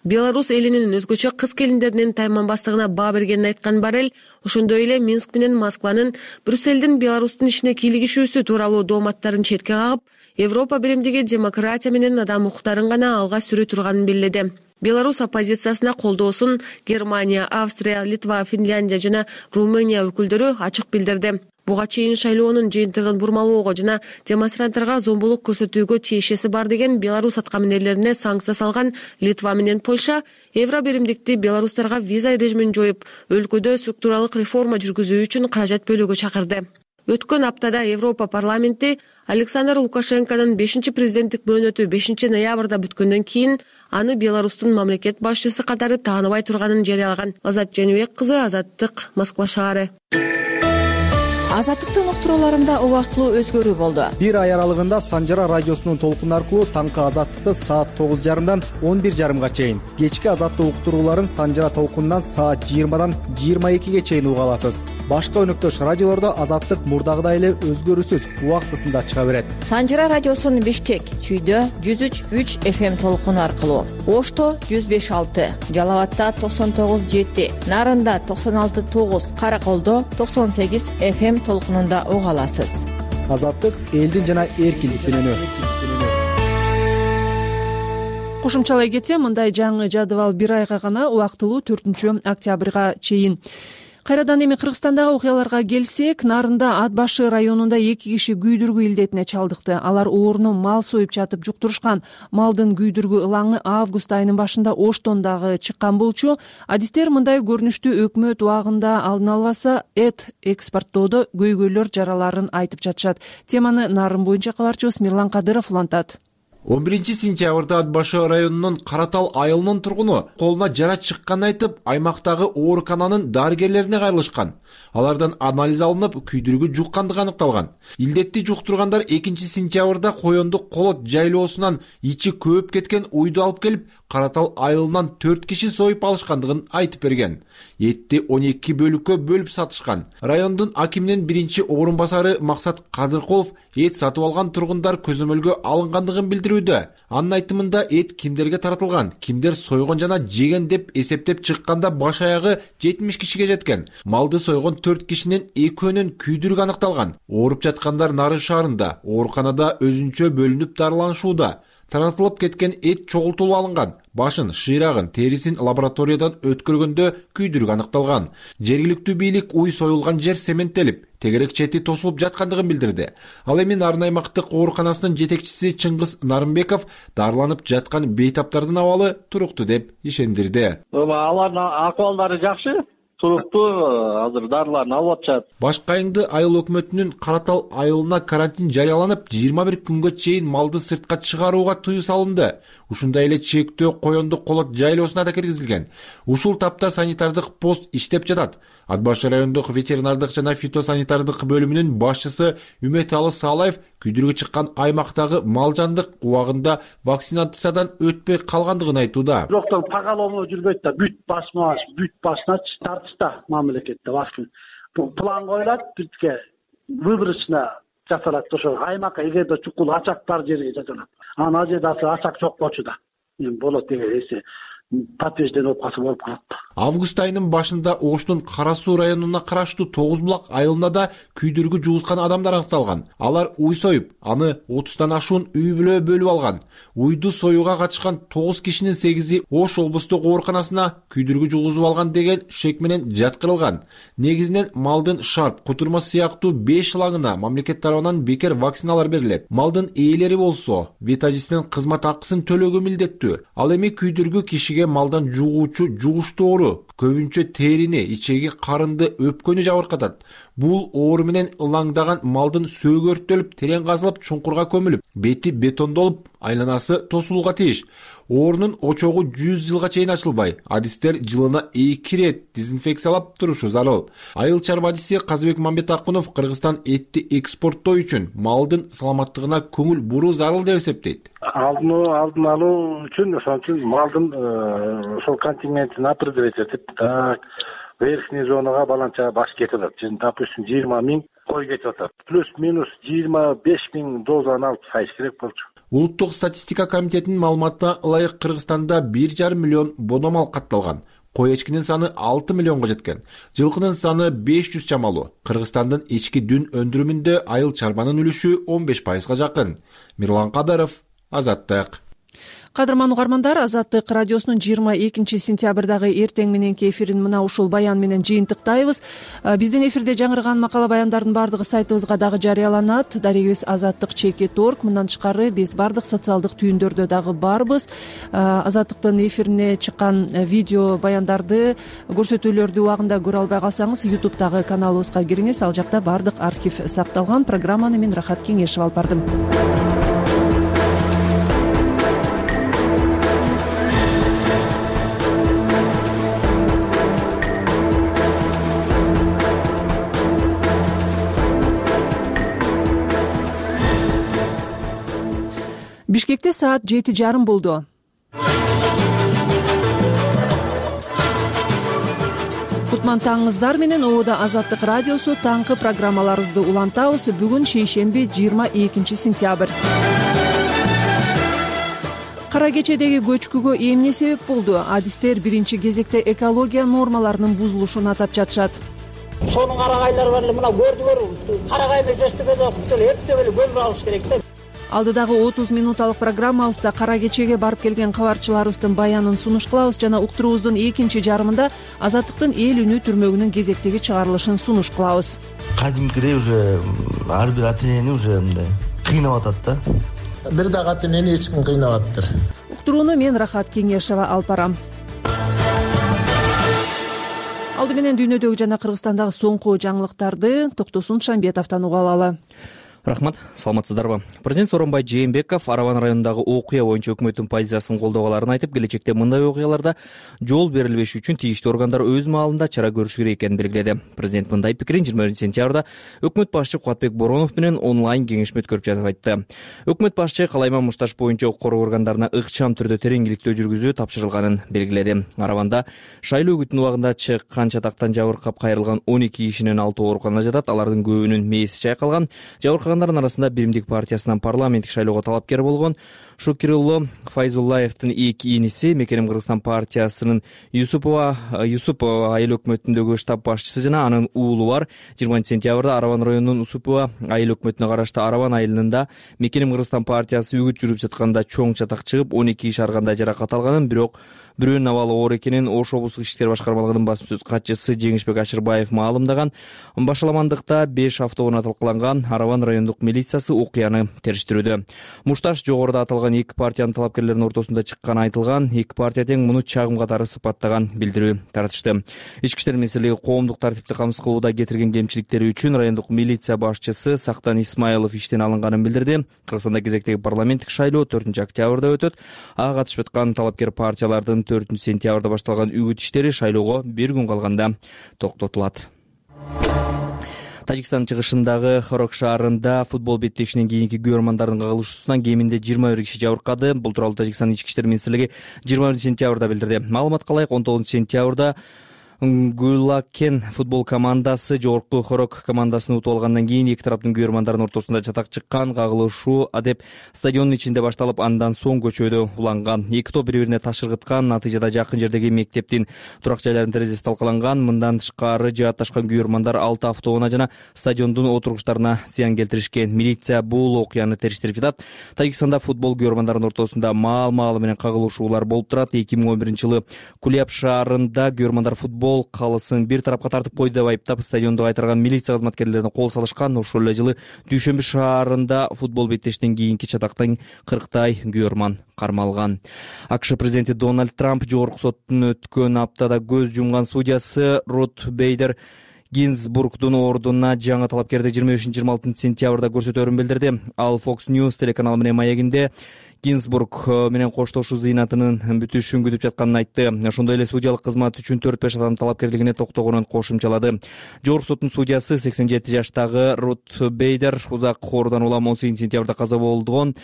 Беларусь элинин өзгөчө кыз келиндеринин тайманбастыгына баа бергенин айткан Боррелл ошондой эле Минск менен Москванын Брюссельдин Беларустун ишине кийлигишүүсү тууралуу дооматтарын четке кагып, Европа биримдиги демократия менен адам укуктарын гана алга сүрө турганын белгиледи. Беларусь оппозициясына колдоосун Германия, Австрия, Литва, Финляндия жана Румыния өкүлдөрү ачык билдирди. Буга чейин шайлоонун жыйынтыгын бурмалоого жана демонстранттарга зомбулук көрсөтүүгө тиешеси бар деген Беларусь аткаминерлерине санкция салган Литва менен Польша Евробиримдикти белорустарга виза режимин жоюп, өлкөдө структуралык реформа жүргүзүү үчүн каражат бөлүүгө чакырды. Өткөн аптада Европа парламенти Александр Лукашенконун 5-президенттик мөөнөтү 5-ноябрда бүткөндөн кийин аны Беларустун мамлекет башчысы катары тааныбай турганын жарыялаган. Азат Женибек кызы, Азаттык, Москва шаары. Азаттыктын уктурууларында убактылуу өзгөрүү болду. Бир ай аралыгында Санжара радиосунун толкуну аркылуу таңкы Азаттыкты саат 9:30-дан 11:30 чейин, кечки Азаттык уктурууларын Санжара толкунунан саат 20-дан 22-ге чейин уга аласыз. Башка өнөктөш радиолордо Азаттык мурдагыдай эле өзгөрүүсүз убактысында чыга берет. Санжара радиосунун Бишкек, Чүйдө 103.3 FM толкуну аркылуу, Ошто 105.6, Жалалатта 99.7, Нарында 96.9, Караколдо 98 FM толкунунда уга аласыз. Азаттык элдин жана эркиндиктин үнү. Кошумчалай кетсем, мындай жаңы жадыбал бир айга гана убактылуу 4-октябрга чейин. Кайрадан эми Кыргызстандагы окуяларга келсек, Нарында Ат башы районунда 2 киши күйдүргү илдетине чалдыкты. Алар орну мал союп жатып жуктурушкан. Малдын күйдүргү ылаңы август айынын башында Оштон дагы чыккан болчу. Адистер мындай көрүнүштү өкмөт убагында алдын албаса эт экспорттоодо көйгөйлөр жараларын айтып жатышат. Теманы Нарын боюнча кабарчыбыз Мирлан Кадыров улантат. 11-сентябрда Ат башы районунун Каратал айылынын тургуну колуна жара чыкканын айтып, аймактагы оорукананын дарыгерлерине кайрылышкан. Алардан анализ алынып, күйдүргү жуккандыгы аныкталган. Илдетти жуктургандар 2-сентябрда Коёндук Колот жайлоосунан ичи көөп кеткен уйду алып келип, Каратал айылынан 4 киши союп алышкандыгын айтып берген. Этти 12 бөлүккө бөлүп сатышкан. Райондун акиминин биринчи орун басары Максат Кадыркулов эт сатып алган тургундар көзөмөлгө алынгандыгын билдирүүдө. Анын айтымында эт кимдерге таратылган, кимдер сойгон жана жеген деп эсептеп чыкканда баш аягы 70 кишиге жеткен. Малды сойгон 4 кишинин экөөнүн күйдүргү аныкталган. Ооруп жаткандар Нарын шаарында, ооруканада өзүнчө бөлүнүп дарыланышууда. Таратылып кеткен эт чогултулуп алынган. Башын, шыйрагын, терисин лабораториядан өткөргөндө күйдүргү аныкталган. Жергиликтүү бийлик уй союлган жер цементтелип, тегерек чети тосулуп жаткандыгын билдирди. Ал эми Нарын аймактык ооруканасынын жетекчиси Чыңгыз Нарымбеков дарыланып жаткан бейтаптардын абалы туруктуу деп ишендирди. Алардын акыбалдары жакшы. Туруктуу азыр дарыларын алып атышат. Башкы айыңды айыл өкмөтүнүн Каратал айылына карантин жарыяланып, 21 күнгө чейин малды сыртка чыгарууга тыюу салынды. Ушундай эле чектөө Коёндук Колот жайлоосуна да киргизилген. Ушул тапта санитардык пост иштеп жатат. Ат башы райондук ветеринардык жана фитосанитардык бөлүмүнүн башчысы Үмөталы Салаев күйдүргү чыккан аймактагы мал-жандык убагында вакцинациядан өтпөй калгандыгын айтууда. Доктор поголовно жүрбөйт да, бүт башына тартышта мамлекетте вакцина. План коюлат, бизге выборочно жасалат. Ошо аймакка эгерде чукул ачактар жерге жасалат. Анан жерде ачак жок болчу да. Эми болот деген эсе. Подтверждение болуп калат. Август айынын башында Оштун Кара Суу районуна караштуу 9 булак айылында да күйдүргү жуускан адамдар аныкталган. Алар уй союп, аны 30тан ашуун үй бүлө бөлүп алган. Уйду союуга катышкан 9 кишинин 8-и Ош облустук ооруканасына күйдүргү жугузуп алган деген шек менен жаткырылган. Негизинен малдын шарп, кутурма сыяктуу 5 ылаңына мамлекет тарабынан бекер вакциналар берилет. Малдын ээлери болсо, ветажистин кызмат акысын төлөөгө милдеттүү. Ал эми күйдүргү кишиге малдан жугуучу жугуштуу оору, көбүнчө терини, ичеги, карынды, өпкөнү жабыркатат. Бул оору менен ылаңдаган малдын сөөгү өрттөлүп, терең казылып, чуңкурга көмүлүп, бети бетондолуп, айланасы тосулууга тийиш. Оорунун очогу 100 жылга чейин ачылбай, адистер жылына 2 рет дезинфекциялап турушу зарыл. Айыл чарба адиси Казыбек Мамбетакунов Кыргызстан этти экспорттоо үчүн малдын саламаттыгына көңүл буруу зарыл деп эсептейт. Алдын алуу үчүн ошон үчүн малдын ошол контингентин определить этип, так верхний зонага баланча баш кетип атат. Допустим, 20 000 кой кетип атат. Плюс-минус 25 000 дозаны алып сайыш керек болчу. Улуттук статистика комитетинин маалыматына ылайык Кыргызстанда 1,5 миллион бодомал катталган. Кой эчкинин саны 6 миллионго жеткен. Жылкынын саны 500 чамалуу. Кыргызстандын ички дүн өндүрүмүндө айыл чарбанын үлүшү 15%га жакын. Мирлан Кадаров, Азаттык. Кадырман угармандар, Азаттык радиосунун 22 сентябрдагы эртең мененки эфирин мына ушул баян менен жыйынтыктайбыз. Биздин эфирде жаңырган макала баяндардын бардыгы сайтыбызга дагы жарыяланат. Дарегибиз azattik.org. Мындан тышкары биз бардык социалдык түйүндөрдө дагы барбыз. Азаттыктын эфирине чыккан видео баяндарды, көрсөтүүлөрдү убагында көрө албай калсаңыз, YouTube'дагы каналыбызга кириңиз. Ал жакта бардык архив сакталган. Программаны мен Рахат Кеңешев алып бардым. Бишкекте саат 7:30 болду. Кутман таңыңыздар менен ООД Азаттык радиосу таңкы программаларыбызды улантабыз. Бүгүн шейшемби 22 сентябрь. Кара кечедеги көчкүгө эмне себеп болду? Адистер биринчи кезекте экология нормаларынын бузулушун атап жатышат. Сонун карагайлар бар эле, мына көрдүңөр, карагай эмес эстебе жок, бүт эле эптеп эле көмүр алыш керек да. Алдыдагы 30 минуталык программабызда кара кечеге барып келген кабарчыларыбыздын баянын сунуш кылабыз жана уктуруубуздун экинчи жарымында Азаттыктын эл үнү түрмөгүнүн кезектеги чыгарылышын сунуш кылабыз. Кадимкидей уже ар бир ата энени уже мындай кыйнап атат да. Бир дагы ата энени эч ким кыйнап атыптыр. Уктурууну мен Рахат Кеңешева алып барам. Алды менен дүйнөдөгү жана Кыргызстандагы соңку жаңылыктарды Токтосун Шамбетовдон угуп алалы. Рахмат, саламатсыздарбы? Президент Сооронбай Жээнбеков Араван районундагы окуя боюнча өкмөттүн позициясын колдоголарын айтып, келечекте мындай окуяларда жол берилбеш үчүн тийиштүү органдар өз маалында чара көрүшү керек экенин белгиледи. Президент мындай пикирин 20 сентябрда өкмөт башчы Кубатбек Боронов менен онлайн кеңешме өткөрүп жатып айтты. Өкмөт башчы калайма мушташ боюнча укук коргоо органдарына ыкчам түрдө тереңдиликтөө жүргүзүү тапшырылганын белгиледи. Араванда шайлоо күтүн убагында чыккан чатактан жабыркап кайрылган 12 кишинин 6 ооруканада жатат. Алардын көбүнүн мээси чайкалган. Жабыркагандар арасында Биримдик партиясынан парламенттик шайлоого талапкер болгон Шукирулло Файзуллаевдин эки иниси, Мекеним Кыргызстан партиясынын Юсупова айыл өкмөтүндөгү штаб башчысы жана анын уулу бар. 20 сентябрда Араван районунун Усупова айыл өкмөтүнө караштуу Араван айылында Мекеним Кыргызстан партиясы үгүт жүрүп жатканда чоң чатак чыгып 12 киши ар кандай жаракат алганын, бирок бирөөнүн абалы оор экенин Ош облустук иштер башкармалыгынын басма сөз катчысы Жеңишбек Ашырбаев маалымдаган. Башаламандыкта 5 автоунаа талкаланган. Араван райондук милициясы окуяны териштирүүдө. Мушташ жогоруда аталган эки партиянын талапкерлеринин ортосунда чыкканы айтылган. Эки партия тең муну чагым катары сыпаттаган билдирүү таратышты. Ички иштер министрлиги коомдук тартипти камсыз кылууда кетирген кемчиликтери үчүн райондук милиция башчысы Сактан Исмайлов иштен алынганын билдирди. Кыргызстанда кезектеги парламенттик шайлоо 4 октябрда өтөт. Ага катышып аткан талапкер партиялардын 4 сентябрда башталган үгүт иштери шайлоого бир күн калганда токтотулат. Тажикстандын чыгышындагы Хорок шаарында футбол беттешинен кийинки күйөрмандардын кагылышуусунан кеминде 21 киши жабыркады. Бул тууралуу Тажикстандын ички иштер министрлиги 20 сентябрда билдирди. Маалыматка ылайык 19 сентябрда Гулакен футбол командасы жогорку Хорок командасын утуп алгандан кийин эки тараптын күйөрмандарынын ортосунда чатак чыккан. Кагылышуу адеп стадиондун ичинде башталып, андан соң көчөдө уланган. Эки топ бири-бирине таш ыргыткан. Натыйжада жакын жердеги мектептин турак жайларынын терезеси талкаланган. Мындан тышкары жаатташкан күйөрмандар 6 автоунаа жана стадиондун отургучтарына зыян келтиришкен. Милиция бул окуяны териштирип жатат. Тажикстанда футбол күйөрмандарынын ортосунда маал-маалы менен кагылышуулар болуп турат. 2011-жылы Куляб шаарында күйөрмандар футбол калысын бир тарапка тартып койду деп айыптап стадионду кайтарган милиция кызматкерлерине кол салышкан. Ошол эле жылы Дүйшөмбү шаарында футбол беттештен кийинки чатактан 40 күйөрман кармалган. АКШ президенти Дональд Трамп жогорку соттун өткөн аптада көз жумган судьясы Рут Бейдер Гинзбургдун ордуна жаңы талапкерди 25-26 сентябрда көрсөтөөрүн билдирди. Ал Fox News телеканалы менен маегинде Гинзбург менен коштошуу зыйнатынын бүтүшүн күтүп жатканын айтты. Ошондой эле судьялык кызмат үчүн 4-5 адам талапкерлигине токтогонун кошумчалады. Жогорку соттун судьясы 87 жаштагы Рут Бейдер узак оорудан улам 18 сентябрда каза болгон.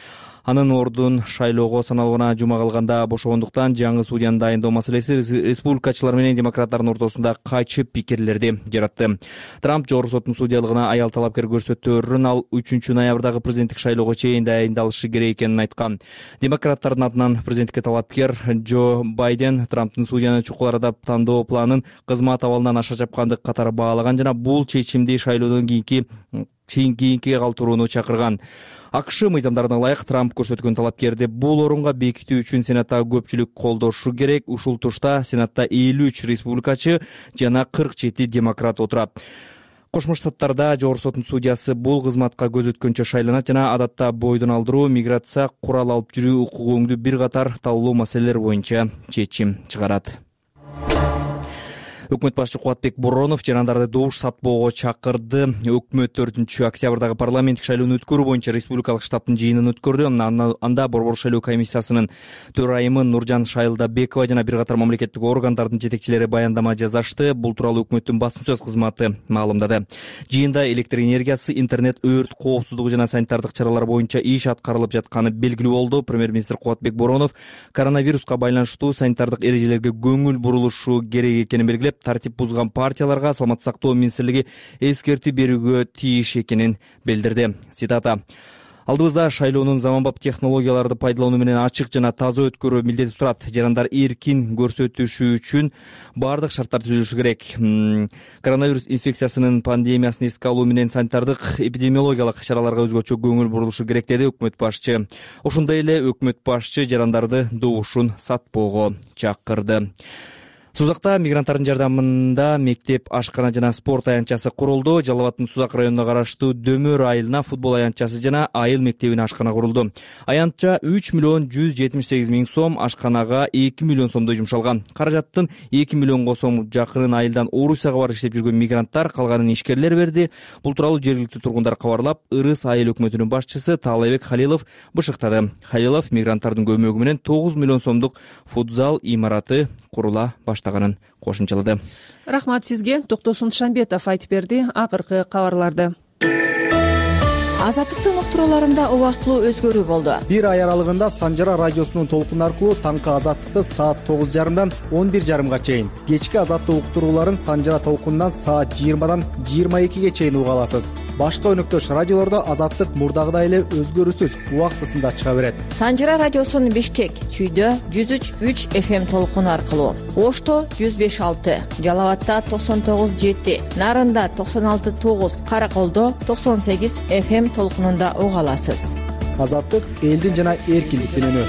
Анын ордун шайлоого саналууна жума калганда бошогондуктан жаңы судьяны дайындоо маселеси республикачылар менен демократтардын ортосунда кайчы пикирлерди жаратты. Трамп жогорку соттун судьялыгына аял талапкер көрсөтөөрүн ал 3 ноябрдагы президенттик шайлоого чейин дайындалышы керек экенин айткан. Демократтардын атынан президенттикке талапкер Джо Байден Трамптын судьяны чукул арада тандоо планын кызмат абалынан аша чапкандык катары баалаган жана бул чечимди шайлоодон кийинкиге калтырууну чакырган. АКШ мыйзамдарына ылайык Трамп көрсөткөн талапкерди бул орунга бекитүү үчүн Сенаттагы көпчүлүк колдошу керек. Ушул тушта Сенатта 53 республикачы жана 47 демократ отурат. Кошмо Штаттарда жогорку соттун судьясы бул кызматка көз өткөнчө шайланат жана адатта бойдон алдыруу, миграция, курал алып жүрүү укугу бир катар талуу маселелер боюнча чечим чыгарат. Өкмөт башчы Кубатбек Боронов жарандарды добуш сатпоого чакырды. Өкмөт 4-октябрдагы парламенттик шайлоону өткөрүү боюнча республикалык штабтын жыйынын өткөрдү. Анда Борбор шайлоо комиссиясынын төрайымы Нуржан Шайлдабекова жана бир катар мамлекеттик органдардын жетекчилери баяндама жасашты. Бул тууралуу өкмөттүн басма сөз кызматы маалымдады. Жыйында электр энергиясы, интернет, өрт коопсуздугу жана санитардык чаралар боюнча иш аткарылып жатканы белгилүү болду. Премьер-министр Кубатбек Боронов коронавируска байланыштуу санитардык эрежелерге көңүл бурулушу керек экенин белгилеп, тартип бузган партияларга Саламаттык сактоо министрлиги эскертип берүүгө тийиш экенин билдирди. Цитата: Алдыбызда шайлоонун заманбап технологияларды пайдалануу менен ачык жана таза өткөрүү милдети турат. Жарандар эркин көрсөтүшү үчүн бардык шарттар түзүлүшү керек. Коронавирус инфекциясынын пандемиясын эске алуу менен санитардык эпидемиологиялык чараларга өзгөчө көңүл бурулушу керек, деди өкмөт башчы. Ошондой эле өкмөт башчы жарандарды добушун сатпоого чакырды. Сузакта мигранттардын жардамында мектеп, ашкана жана спорт аянтчасы курулду. Жалал Абаддын Сузак районуна караштуу Дөмөр айылына футбол аянтчасы жана айыл мектебине ашкана курулду. Аянтча 3,178,000 сом, ашканага 2 миллион сомдой жумшалган. Каражаттын 2 миллионго сом жакынын айылдан Орусияга барып иштеп жүргөн мигранттар, калганын ишкерлер берди. Бул тууралуу жергиликтүү тургундар кабарлап, Ырыс айыл өкмөтүнүн башчысы Таалайбек Халилов бышыктады. Халилов мигранттардын көмөгү менен 9 миллион сомдук футзал имараты курула баштаганын кошумчалады. Рахмат сизге. Токтосун Шамбетов айтып берди акыркы кабарларды. Азаттыктын уктурууларында убактылуу өзгөрүү болду. Бир ай аралыгында Санжара радиосунун толкун аркылуу таңкы Азаттыкты саат 9:30 11:30 чейин, кечки Азаттык уктурууларын Санжара толкунунан саат 20 22 чейин уга аласыз. Башка өнөктөш радиолордо Азаттык мурдагыдай эле өзгөрүүсүз убактысында чыга берет. Санжара радиосунун Бишкек, Чүйдө 103.3 FM толкуну аркылуу, Ошто 105.6, Жалал Абадта 99.7, Нарында 96.9, Караколдо 98 FM толкунунда уга аласыз. Азаттык элдин жана эркиндиктин үнү.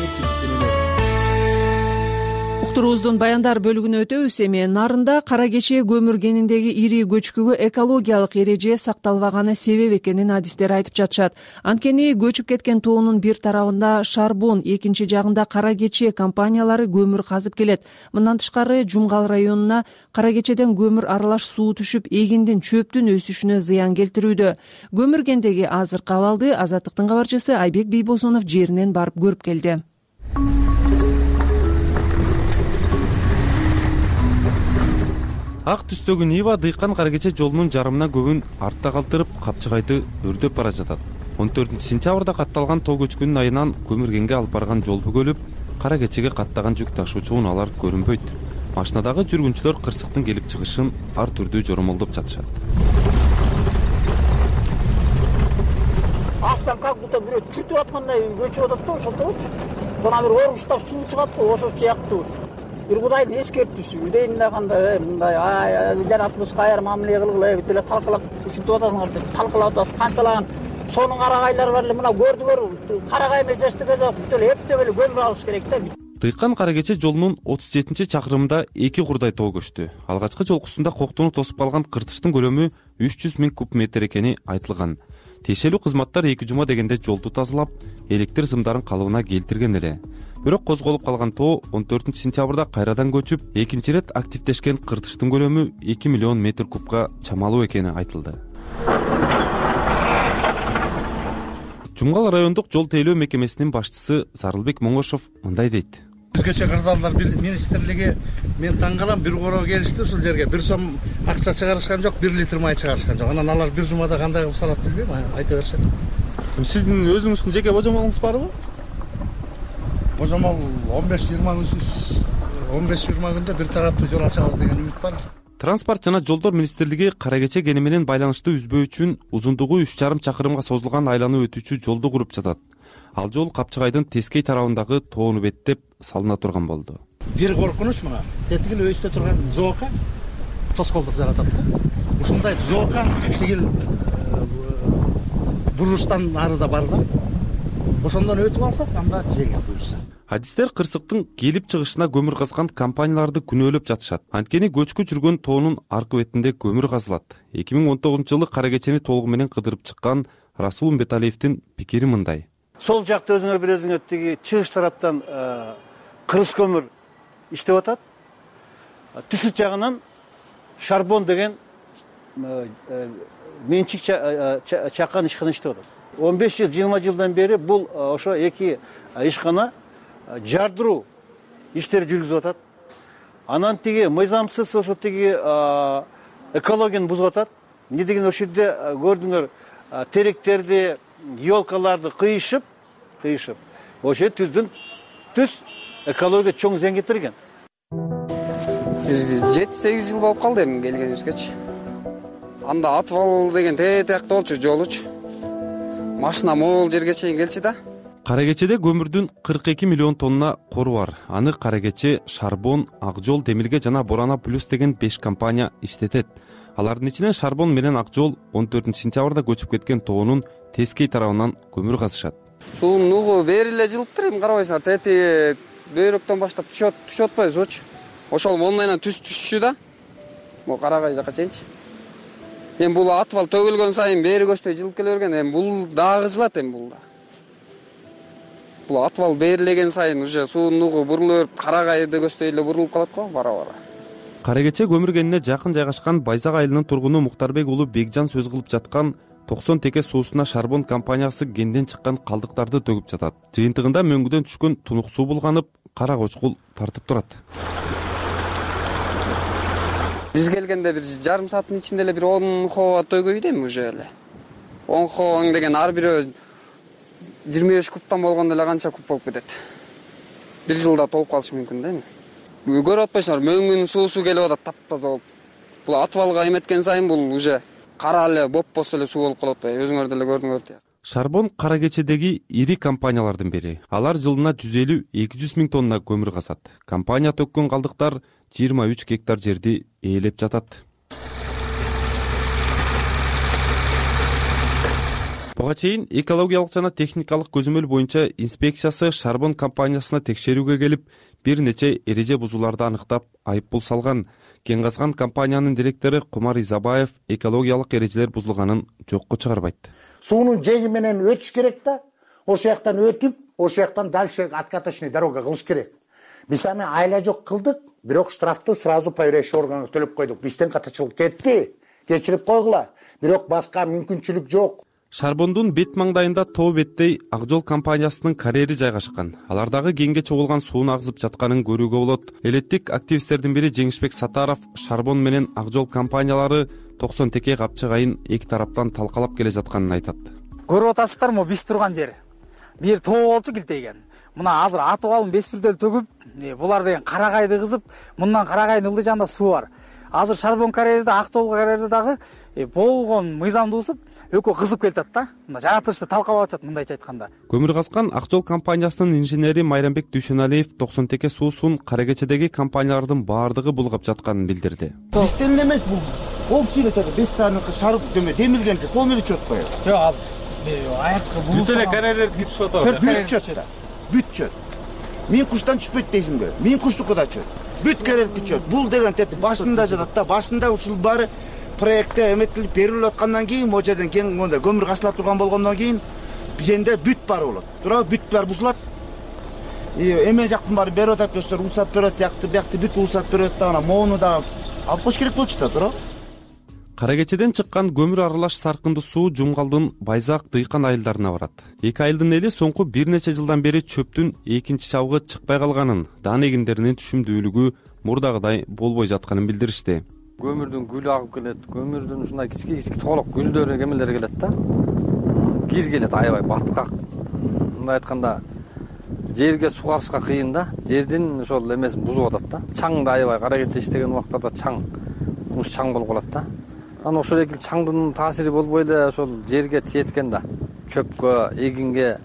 Уктуруубуздун баяндар бөлүгүнө өтөбүз. Эми Нарында кара кече көмүргениндеги ири көчкүгө экологиялык эреже сакталбаганы себеп экенин адистер айтып жатышат. Анткени көчүп кеткен тоонун бир тарабында Шарбон, экинчи жагында кара кече компаниялары көмүр казып келет. Мындан тышкары Жумгал районуна кара кечеден көмүр аралаш суу түшүп, эгиндин, чөптүн өсүшүнө зыян келтирүүдө. Көмүргендеги азыркы абалды Азаттыктын кабарчысы Айбек Бийбосунов жеринен барып көрүп келди. Ак түстөгү Нива дыйкан кара кече жолунун жарымына көгүн артта калтырып, капчыгайды өрдөп бара жатат. 14 сентябрда катталган тоо көчкүнүн айынан көмүргенге алып барган жол бөгөлүп, кара кечеге каттаган жүк ташуучу унаалар көрүнбөйт. Машинадагы жүргүнчүлөр кырсыктын келип чыгышын ар түрдүү жоромолдоп жатышат. Астан как будто бирөө түртүп аткандай көчүп атат да, ошолточу. Бана бир оргуштап суу чыгат да, ошол сыяктуу. Бир Кудайдын эскертүүсү, дейм да кандай, мындай жаратылышка аяр мамиле кылгыла, бүт эле талкалап ушинтип атасыңар деп талкалап атасыз. Канчалаган сонун карагайлар бар эле, мына көрдүңөр, карагай эмес эчтеке жок, бүт эле эптеп эле көмүр алыш керек да. Дыйкан кара кече жолунун 37-чакырымында 2 курдай тоо көчтү. Алгачкы жолкусунда коктууну тосуп калган кыртыштын көлөмү 300,000 куб метр экени айтылган. Тиешелүү кызматтар 2 жума дегенде жолду тазалап, электр сымдарын калыбына келтирген эле. бирок козголуп калган тоо 14-сентябрда кайрадан көчүп, экинчи ирет активдешкен кыртыштын көлөмү 2 миллион метр кубка чамалуу экени айтылды. Жумгал райондук жол тейлөө мекемесинин башчысы Зарылбек Моңошов мындай дейт. Өзгөчө кырдаалдар министрлиги мен таң калам, бир короо келишти ушул жерге 1 сом акча чыгарышкан жок, 1 литр май чыгарышкан жок. Анан алар бир жумада кандай кылып салат билбейм, айта беришет. Сиздин өзүңүздүн жеке божомолуңуз барбы? Божомол 15-20 күндө бир тараптуу жол ачабыз деген үмүт бар. Транспорт жана жолдор министрлиги кара кече кени менен байланышты үзбөө үчүн узундугу 3,5 чакырымга созулган айланып өтүүчү жолду куруп жатат. Ал жол Капчыгайдын Тескей тарабындагы тоону беттеп салына турган болду. Бир коркунуч мына, тетигил өйстө турган зоока тоскоолдук жаратат да. Ушундай зоока тигил бурустан арыда бар да. Ошондон өтүп алсак, анда жеңил буюрса. Адистер кырсыктын келип чыгышына көмүр казган компанияларды күнөөлөп жатышат. Анткени көчкү жүргөн тоонун аркы бетинде көмүр казылат. 2019-жылы кара кечени толугу менен кыдырып чыккан Расул Умбеталиевдин пикири мындай. Сол жакта өзүңөр билесиңер, тиги чыгыш тараптан кырыс көмүр иштеп атат. Түшүт жагынан шарбон деген менчик чаккан ишкана иштеп атат. 15 жыл, 20 жылдан бери бул ошо эки ишкана жардыруу иштер жүргүзүп атат. Анан тиги мыйзамсыз ошо тиги экологияны бузуп атат. Эмне деген ошол жерде көрдүңөр теректерди, елкаларды кыйышып, ошо түз экология чоң зыян кетирген. 7-8 жыл болуп калды эми келгенибизгечи. Анда отвал деген тетиякта болчу, жолучу. Машина могул жерге чейин келчү да. Кара кечеде көмүрдүн 42 миллион тонна кору бар. Аны Кара кече, Шарбон, Ак жол, Демилге жана Борана плюс деген 5 компания иштетет. Алардын ичинен Шарбон менен Ак жол 14-сентябрда көчүп кеткен тоонун Тескей тарабынан көмүр казышат. Суунун нугу бери эле жылыптыр, эми карабайсыңар, тети бөйрөктөн баштап түшүп атпайбы сучу. Ошол мондайынан түшчү да. Бул Карагай жака чейинчи. Эми бул отвал төгүлгөн сайын бери көчтөй жылып келе берген, эми бул дагы жылат, эми бул да. Бул отвал берилеген сайын уже суунун нугу бурулуп берип, Карагайды көчтөй эле бурулуп калат го бара-бара. Кара кече көмүр кенине жакын жайгашкан Байзак айылынын тургуну Муктарбек уулу Бекжан сөз кылып жаткан 90 теке суусуна Шарбон компаниясы кенден чыккан калдыктарды төгүп жатат. Жыйынтыгында мөңгүдөн түшкөн тунук суу булганып, кара кочкул тартып турат. Биз келгенде бир жарым сааттын ичинде эле бир 10 хоо төгөйдү эми уже эле. 10 хооң деген ар бирөө 25 кубтан болгондо эле канча куб болуп кетет. Бир жылда толуп калышы мүмкүн да эми. Көрүп атпайсыңарбы, мөңгүнүн суусу келип атат таптаза болуп. Бул отвалга эметкен сайын бул уже кара эле бопбос эле суу болуп калып атпайбы, өзүңөр деле көрдүңөр да. Шарбон Кара кечедеги ири компаниялардын бири. Алар жылына 150-200 миң тонна көмүр казат. Компания төккөн калдыктар 23 гектар жерди ээлеп жатат. Буга чейин экологиялык жана техникалык көзөмөл боюнча инспекциясы Шарбон компаниясына текшерүүгө келип, бир нече эреже бузууларды аныктап, айыппул салган. Кен казган компаниянын директору Кумар Изабаев экологиялык эрежелер бузулганын жокко чыгарбайт. Суунун жеги менен өтүш керек да. Ошол жактан өтүп, ошол жактан дальше откаточный дорога кылыш керек. Биз аны айла жок кылдык, бирок штрафты сразу проверяющий органга төлөп койдук. Бизден катачылык кетти. Кечирип койгула. Бирок башка мүмкүнчүлүк жок. Шарбондун бет маңдайында тоо беттей Ак жол компаниясынын карьери жайгашкан. Алардагы кенге чогулган сууну агызып жатканын көрүүгө болот. Элеттик активисттердин бири Жеңишбек Сатаров Шарбон менен Ак жол компаниялары 90 теке Капчыгайын эки тараптан талкалап келе жатканын айтат. Көрүп атасыздарбы, биз турган жер. Бир тоо болчу килтейген. Мына азыр атыбалын беспирдел төгүп, булар деген Карагайды кызып, мындан Карагайдын ылдый жанында суу бар. Азыр Шарбон карьерде, Ак жол карьерде дагы болгон мыйзамды бузуп, экөө кызып келатат да. Мына жаратылышты талкалап атат, мындайча айтканда. Көмүр казган Ак жол компаниясынын инженери Майрамбек Дүйшөналиев 90 теке суусун Кара кечедеги компаниялардын баардыгы булгап жатканын билдирди. Бизден эмес бул. Общий эле 5 саатынык шарып демилгенки полный учет коет. Жок, азыр аякка бул. Бүт эле карьерлерди түшүп атат. Бүт чөт. Мен куштан түшпөйт дейсиңби? Мен куштукка да чөт. Бүт карьерки чөт. Бул деген тети башында жатат да, башында ушул баары проектте эметилип берилип аткандан кийин, могу жерден кең мондай көмүр касылап турган болгондон кийин бизенде бүт бар болот. Туурабы? Бүт бар бузулат. эме жактын баары берип атат көздөр, улсат берип атат, биякты бүт улсат берип атат, ана моуну да алып коюш керек болчу да туура. Кара кечеден чыккан көмүр аралаш саркынды суу Жумгалдын Байзак дыйкан айылдарына барат. 2 айылдын эли соңку бир нече жылдан бери чөптүн экинчи чабыгы чыкпай калганын, даан эгиндеринин түшүмдүүлүгү мурдагыдай болбой жатканын билдиришти. Көмүрдүн гүлү агып келет, көмүрдүн ушундай кички толук гүлдөрү кемелер келет да. Кир келет аябай баткак. Мындай айтканда жерге сугарышка кыйын да. Жердин ошол эмесин бузуп атат да. Чаң да аябай кара кече иштеген убактарда чаң, куш чаң болуп калат да. Анан ошол эки чаңдын таасири болбой эле ошол жерге тиеткен да. Чөпкө, эгинге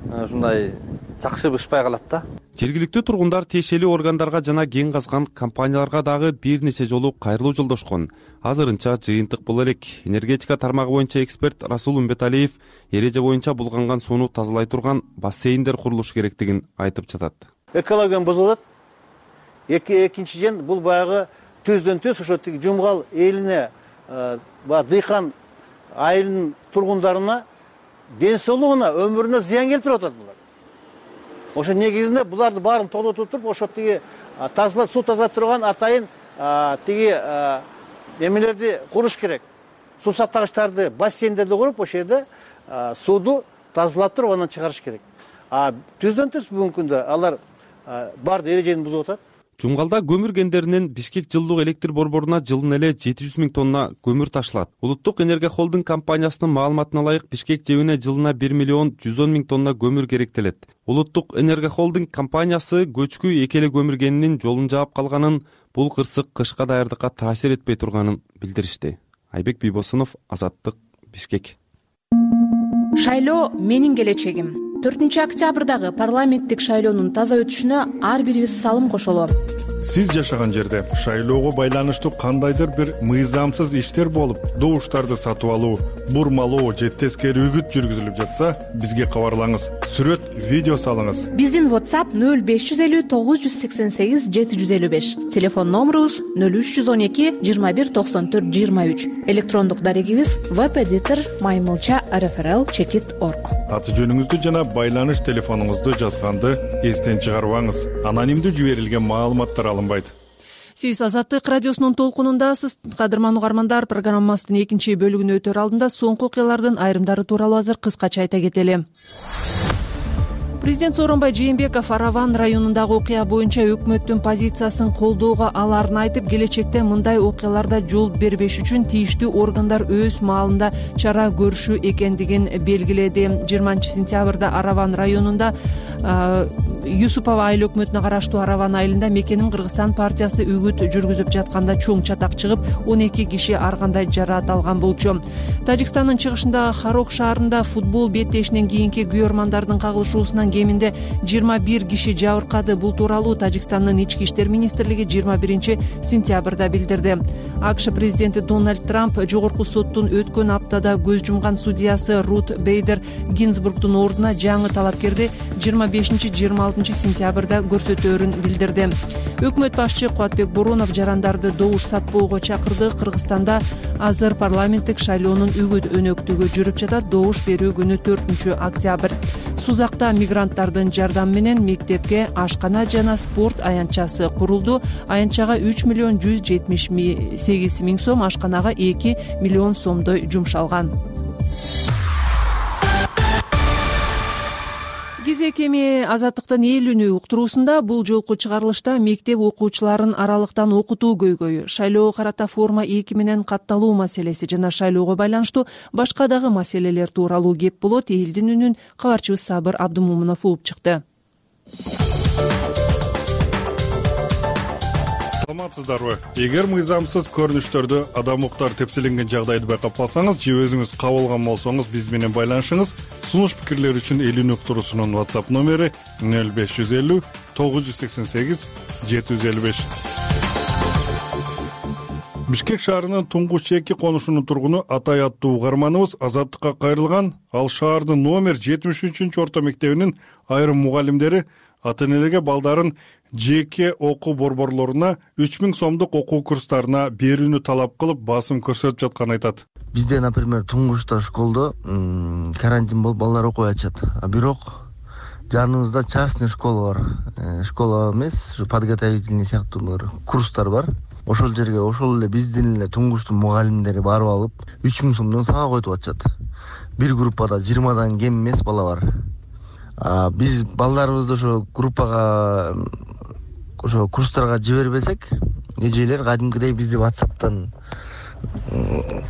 ушундай жакшы бышпай калат да. Жергиликтүү тургундар тиешелүү органдарга жана кен казган компанияларга дагы бир нече жолу кайрылуу жолдошкон. Азырынча жыйынтык бул элек. Энергетика тармагы боюнча эксперт Расул Умбеталиев эреже боюнча булганган сууну тазалай турган бассейндер курулушу керектигин айтып жатат. Экологияны бузулат. Экинчиден бул баягы төздөн төз ошо Жумгал элине, дыйкан айылынын тургундарына ден соолугуна, өмүрүнө зыян келтирип атат булар. Ошо негизинде буларды баарын толотуп туруп, ошо тазалап, суу тазалап турган атайын эмелерди куруш керек. Суу сактагычтарды, бассейндерди куруп, ошол жерде сууду тазалап туруп, анан чыгарыш керек. Түздөн түз бүгүнкү күндө алар баарды эрежени бузуп атат. Жумгалда көмүр кендеринен Бишкек жылдык электр борборуна жылына эле 700 000 тонна көмүр ташылат. Улуттук энергия холдинг компаниясынын маалыматына ылайык Бишкек жебине жылына 1 миллион 110 000 тонна көмүр керектелет. Улуттук энергия холдинг компаниясы көчкү эки эле көмүр кенинин жолун жаап калганын, бул кырсык кышка даярдыкка таасир этпей турганын билдиришти. Айбек Бийбосунов, Азаттык, Бишкек. Шайлоо менин келечегим. 4-октябрдагы парламенттик шайлоонун таза өтүшүнө ар бирибиз салым кошолу. Сиз жашаган жерде шайлоого байланыштуу кандайдыр бир мыйзамсыз иштер болуп, добуштарды сатып алуу, бурмалоо же тескери үгүт жүргүзүлүп жатса, бизге кабарлаңыз. Сүрөт, видео салыңыз. Биздин WhatsApp 0550 988 755. Телефон номерубуз 0312 21 94 23. Электрондук дарегибиз webeditor@maymulcha.rfrl.org. Аты жөнүңүздү жана байланыш телефонуңузду жазганды эстен чыгарбаңыз. Анонимдүү жиберилген маалыматтар алынбайт. Сиз Азаттык радиосунун толкунундасыз. Кадырман угармандар, программабыздын экинчи бөлүгүнө өтөр алдында соңку окуялардын айрымдары тууралуу азыр кыскача айта кетели. Президент Сооронбай Жээнбеков Араван районундагы окуя боюнча өкмөттүн позициясын колдоого аларын айтып, келечекте мындай окуяларда жол бербеш үчүн тийиштүү органдар өз маалында чара көрүшү экендигин белгиледи. 20-сентябрда Араван районунда Юсупова айыл өкмөтүнө караштуу Араван айылында Мекеним Кыргызстан партиясы үгүт жүргүзүп жатканда чоң чатак чыгып, 12 киши ар кандай жараат алган болчу. Тажикстандын чыгышындагы Харок шаарында футбол беттешинен кийинки күйөрмандардын кагылышуусунан кеминде 21 киши жабыркады. Бул тууралуу Тажикстандын ички иштер министрлиги 21-сентябрда билдирди. АКШ президенти Дональд Трамп жогорку соттун өткөн аптада көз жумган судьясы Рут Бейдер Гинзбургдун ордуна жаңы талапкерди 25-26-сентябрда көрсөтөөрүн билдирди. Өкмөт башчы Кубатбек Боронов жарандарды добуш сатпоого чакырды. Кыргызстанда азыр парламенттик шайлоонун үгүт өнөктүгү жүрүп жатат. Добуш берүү күнү 4-октябрь. Сузакта мигранттардын жардамы менен мектепке ашкана жана спорт аянтчасы курулду. Аянтчага 3 миллион 178 миң сом, ашканага 2 миллион сомдой жумшалган. Кезек эми Азаттыктын эл үнү уктуруусунда бул жолку чыгарылышта мектеп окуучуларын аралыктан окутуу көйгөйү, шайлоого карата форма 2 менен катталуу маселеси жана шайлоого байланыштуу башка дагы маселелер тууралуу кеп болот. Элдин үнүн кабарчыбыз Сабыр Абдумомунов угуп чыкты. Саламатсыздарбы? Эгер мыйзамсыз көрүнүштөрдү адам укуктар тепселенген жагдайды байкап калсаңыз же өзүңүз кабылган болсоңуз биз менен байланышыңыз. Сунуш пикирлер үчүн эл үнү уктуруусунун WhatsApp номери 0550 988 755. Бишкек шаарынын туңгуч чеки конушунун тургуну Атай аттуу угарманыбыз Азаттыкка кайрылган. Ал шаардын номер 73-орто мектебинин айрым мугалимдери ата-энелерге балдарын жеке окуу борборлоруна 3000 сомдук окуу курстарына берүүнү талап кылып басым көрсөтүп жатканын айтат. Бизде, например, туңгучта школдо карантин болуп балдар окубай атышат. Бирок жаныбызда частный школа бар. Школа эмес, ушу подготовительный сыяктуулар, курстар бар. Ошол жерге ошол эле биздин эле туңгуштун мугалимдери барып алып, 3000 сомдон сабак өтүп атышат. Бир группада 20дан кем эмес бала бар. Биз балдарыбызды ошо группага, ошо курстарга жибербесек, эжелер кадимкидей бизди WhatsApp'тан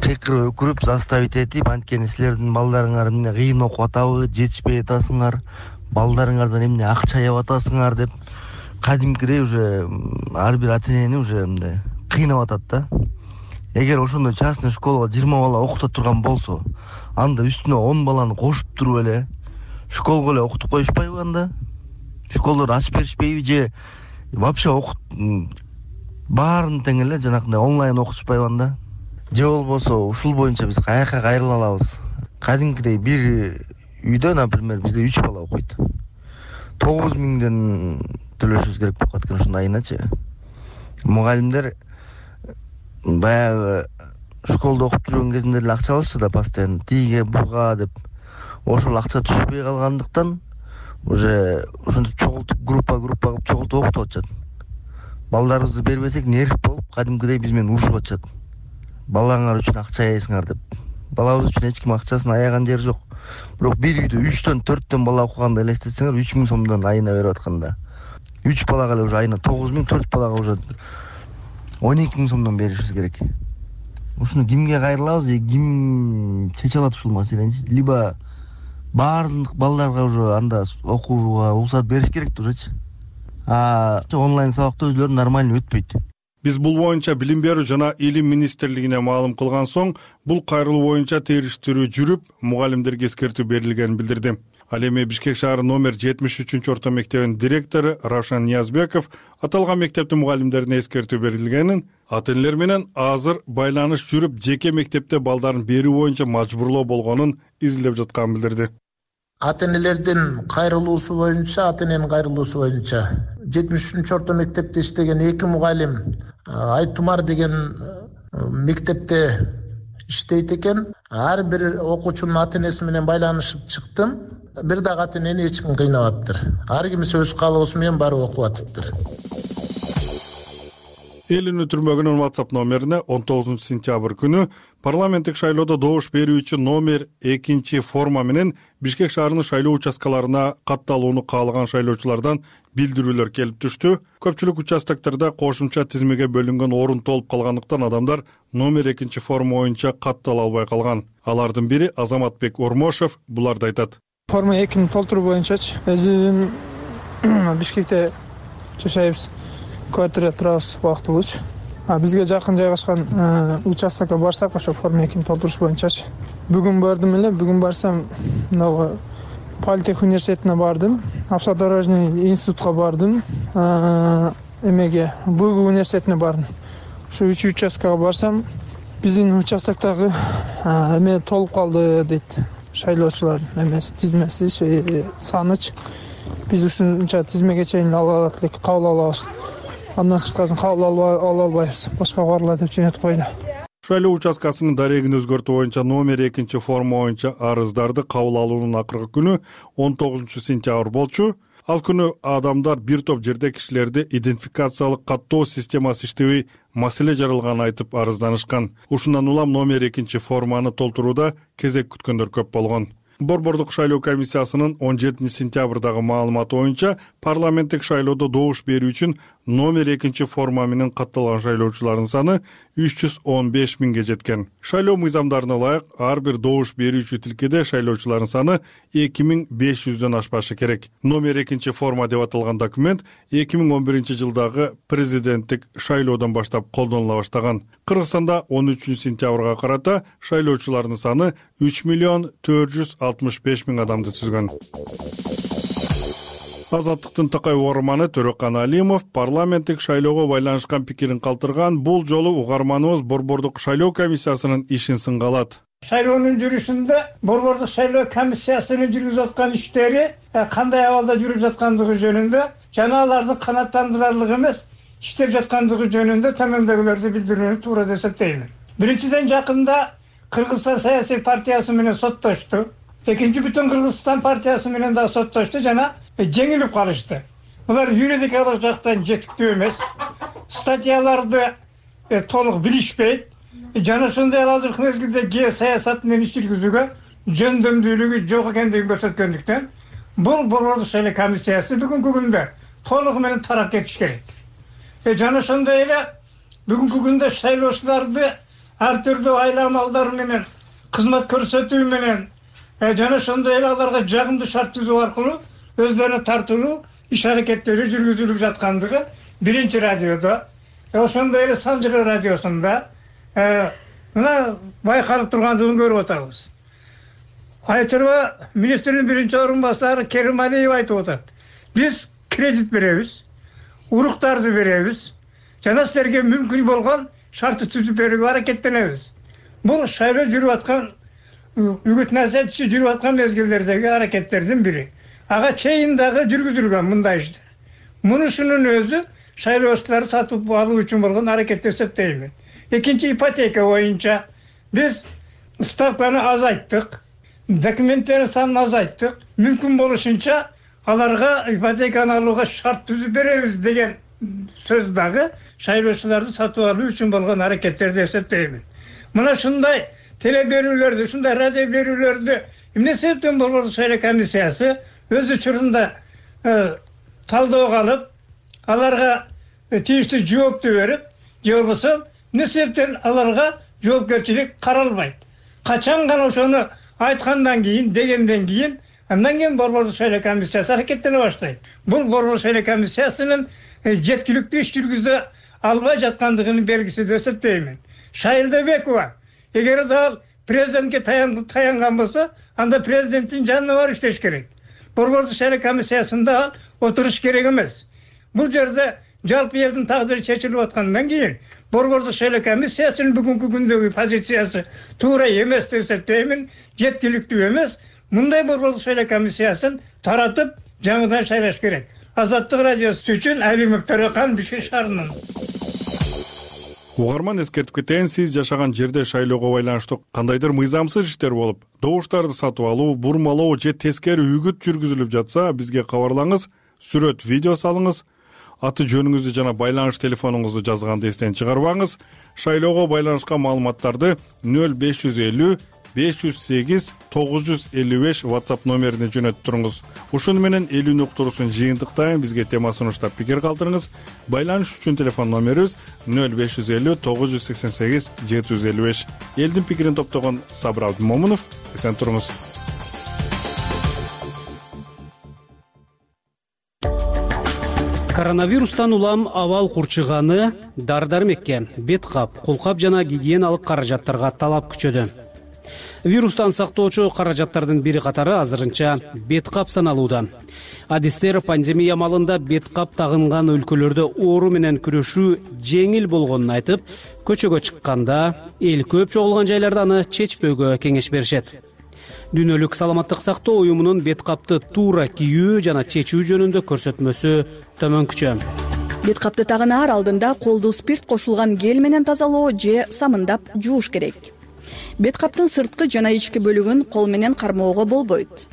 кыйкырып өкүрүп заставить этип, анткени силердин балдарыңар эмне кыйын окуп атабы, жетишпей атасыңар, балдарыңардан эмне акча жеп атасыңар деп кадимкидей уже ар бир ата-энени уже мындай кыйнап атат да. Эгер ошондой частный школага 20 бала окута турган болсо, анда үстүнө 10 баланы кошуп туруп эле школго эле окутуп коюшпайбы анда? Школдорду ачып беришпейби же вообще баарын тең эле жанакындай онлайн окутушпайбы анда? Же болбосо ушул боюнча биз каяка кайрыла алабыз? Кадимкидей бир үйдө, например, бизде 3 бала окуйт. 9000ден төлөшүбүз керек болуп калат экен ушундай айначы. Мугалимдер баягы школдо окуп жүргөн кезинде эле акча алышты да, постоянно тиге буга деп. Ошол акча түшпөй калгандыктан уже ошентип чогултуп группа кылып чогултуп окутуп атышат. Балдарыбызды бербесек нерв болуп, кадимкидей биз менен урушуп атышат. Балаңар үчүн акча аяйсыңар деп. Балабыз үчүн эч ким акчасын аяган жери жок. Бирок бир үйдө 3төн 4төн бала окуганды элестетсеңер, 3000 сомдон айына берип атканда 3 балага эле уже айына 9000, 4 балага уже 12000 сомдон беришибиз керек. Ушуну кимге кайрылабыз, ким чече алат ушул маселени? Либо баардык балдарга уже анда окууга уруксат бериш керек да ужечи. Онлайн сабакта өзүлөрү нормально өтпөйт. Биз бул боюнча Билим берүү жана Илим министрлигине маалым кылган соң, бул кайрылуу боюнча териштирүү жүрүп, мугалимдерге эскертүү берилгенин билдирди. Ал эми Бишкек шаары номер 73-орто мектебинин директору Равшан Ниязбеков аталган мектептин мугалимдерине эскертүү берилгенин, ата-энелер менен азыр байланыш жүрүп, жеке мектепте балдарын берүү боюнча мажбурлоо болгонун изилдеп жатканын билдирди. Ата-энелердин кайрылуусу боюнча, ата-эненин кайрылуусу боюнча 73-орто мектепте иштеген 2 мугалим Айтумар деген мектепте иштейт экен. Ар бир окуучунун ата-энеси менен байланышып чыктым. Бир дагы ата-энени эч ким кыйнабаптыр. Ар кимиси өз каалоосу менен барып окуп атыптыр. Эл үнү түрмөгүнүн WhatsApp номерине 19 сентябрь күнү парламенттик шайлоодо добуш берүү үчүн номер 2 форма менен Бишкек шаарынын шайлоо участкаларына катталууну каалаган шайлоочулардан билдирүүлөр келип түштү. Көпчүлүк участоктарда кошумча тизмеге бөлүнгөн орун толуп калгандыктан адамдар номер 2 форма боюнча каттала албай калган. Алардын бири Азаматбек Ормошев буларды айтат. Форма 2-ни толтуруу боюнчачы өзүм Бишкекте жашайбыз. Квартирада турабыз убактылуучу. Бизге жакын жайгашкан участокко барсак, ошо форма 2-ни толтуруш боюнчачы. Бүгүн бардым эле, бүгүн барсам, мына Политех университетине бардым, автодорожный институтка бардым, эмеге БУГ университетине бардым. Ушу 3 участкага барсам, биздин участоктогу эме толуп калды дейт. Шайлоочулардын эмеси, тизмеси, санычы. Биз ушунча тизмеге чейин ала алат элек, кабыл алабыз. Андан сырткасын кабыл ала албайбыз. Башка барыла деп жөнөтүп койду. Шайлоо участкасынын дарегин өзгөртүү боюнча номер 2 форма боюнча арыздарды кабыл алуунун акыркы күнү 19 сентябрь болчу. Ал күнү адамдар бир топ жерде кишилерди идентификациялык каттоо системасы иштебей маселе жаралганын айтып арызданышкан. Ушундан улам номер 2 форманы толтурууда кезек күткөндөр көп болгон. Борбордук шайлоо комиссиясынын 17 сентябрдагы маалыматы боюнча парламенттик шайлоодо добуш берүү үчүн номер 2 форма менен катталган шайлоочулардын саны 315 миңге жеткен. Шайлоо мыйзамдарына ылайык ар бир добуш берүүчү тилкеде шайлоочулардын саны 2500дөн ашпашы керек. Номер 2 форма деп аталган документ 2011-жылдагы президенттик шайлоодон баштап колдонула баштаган. Кыргызстанда 13 сентябрга карата шайлоочулардын саны 3 465 миң адамды түзгөн. Азаттыктын такай угарманы Төрөкан Алимов парламенттик шайлоого байланышкан пикирин калтырган. Бул жолу угарманыбыз Борбордук шайлоо комиссиясынын ишин сынга алат. Шайлоонун жүрүшүндө Борбордук шайлоо комиссиясынын жүргүзүп аткан иштери кандай абалда жүрүп жаткандыгы жөнүндө жана алардын канааттандырарлык эмес иштеп жаткандыгы жөнүндө төмөндөгүлөрдү билдирүүнү туура деп эсептейм. Биринчиден, жакында Кыргызстан саясий партиясы менен соттошту. экинчи бүтүн Кыргызстан партиясы менен да соттошду жана жеңилип калышты. Булар юридикалык жактан жетиктүү эмес. Статьяларды толук билишпейт. Жана ошондой эле азыркы мезгилде геосаясат менен иш жүргүзүүгө жөндөмдүүлүгү жок экендигин көрсөткөндүктөн бул борбордук шайлоо комиссиясы бүгүнкү күндө толугу менен тарап кетиш керек. Жана ошондой эле бүгүнкү күндө шайлоочуларды ар түрдүү айла амалдар менен кызмат көрсөтүү менен жана ошондой эле аларга жагымдуу шарт түзүү аркылуу өздөрүнө тартылуу иш аракеттери жүргүзүлүп жаткандыгы биринчи радиодо, ошондой эле Санжыра радиосунда мына байкалып тургандыгын көрүп атабыз. Айчырба министрдин биринчи орун басары Керим Алиев айтып атат. Биз кредит беребиз, уруктарды беребиз, жана силерге мүмкүн болгон шартты түзүп берүүгө аракеттенебиз. Бул шайлоо жүрүп аткан үгүт насаат иши жүрүп аткан мезгилдердеги аракеттердин бири. Ага чейин дагы жүргүзүлгөн мындай иштер. Мунусунун өзү шайлоочуларды сатып алуу үчүн болгон аракет деп эсептеймин. Экинчи ипотека боюнча биз ставканы азайттык, документтердин санын азайттык. Мүмкүн болушунча аларга ипотеканы алууга шарт түзүп беребиз деген сөз дагы шайлоочуларды сатып алуу үчүн болгон аракеттер деп эсептеймин. Мына ушундай теле берүүлөрдү, ушундай радио берүүлөрдү эмне себептен борбордук шайлоо комиссиясы өз учурунда талдоого алып, аларга тийиштүү жоопту берип, же болбосо эмне себептен аларга жоопкерчилик каралбайт? Качан гана ошону айткандан кийин, дегенден кийин, андан кийин борбордук шайлоо комиссиясы аракеттене баштайт. Бул борбордук шайлоо комиссиясынын жеткиликтүү иш жүргүзө албай жаткандыгынын белгиси деп эсептеймин. Шайлдабекова эгер дал президентке таянган болсо, анда президенттин жанына барып иштеш керек. Борбордук шайлоо комиссиясында отуруш керек эмес. Бул жерде жалпы элдин тагдыры чечилип аткандан кийин борбордук шайлоо комиссиясынын бүгүнкү күндөгү позициясы туура эмес деп эсептеймин, жеткиликтүү эмес. Мындай борбордук шайлоо комиссиясын таратып, жаңыдан шайлаш керек. Азаттык радиосу үчүн Алимов Төрехан, Бишкек шаарынан. Угарман эскертип кетейин, сиз жашаган жерде шайлоого байланыштуу кандайдыр мыйзамсыз иштер болуп, добуштарды сатып алуу, бурмалоо же тескери үгүт жүргүзүлүп жатса, бизге кабарлаңыз, сүрөт, видео салыңыз, аты жөнүңүздү жана байланыш телефонуңузду жазганды эстен чыгарбаңыз. Шайлоого байланышкан маалыматтарды 0550 508 955 WhatsApp номерине жөнөтүп туруңуз. Ушуну менен элүүнү уктуруусун жыйынтыктайын, бизге тема сунуштап пикир калтырыңыз. Байланыш үчүн телефон номерибиз 0550 988 755. Элдин пикирин топтогон Сабыр Абдымомунов. Эсен туруңуз. Коронавирустан улам абал курчуганы дар-дармекке, бет кап, колкап жана гигиеналык каражаттарга талап күчөдү. Вирустан сактоочу каражаттардын бири катары азырынча бет кап саналууда. Адистер пандемия малында бет кап тагынган өлкөлөрдө оору менен күрөшүү жеңил болгонун айтып, көчөгө чыкканда, эл көп чогулган жайларда аны чечпөөгө кеңеш беришет. Дүйнөлүк саламаттык сактоо уюмунун бет капты туура кийүү жана чечүү жөнүндө көрсөтмөсү төмөнкүчө. Бет капты тагынаар алдында колду спирт кошулган гель менен тазалоо же самындап жууш керек. Бет каптын сырткы жана ички бөлүгүн кол менен кармоого болбойт.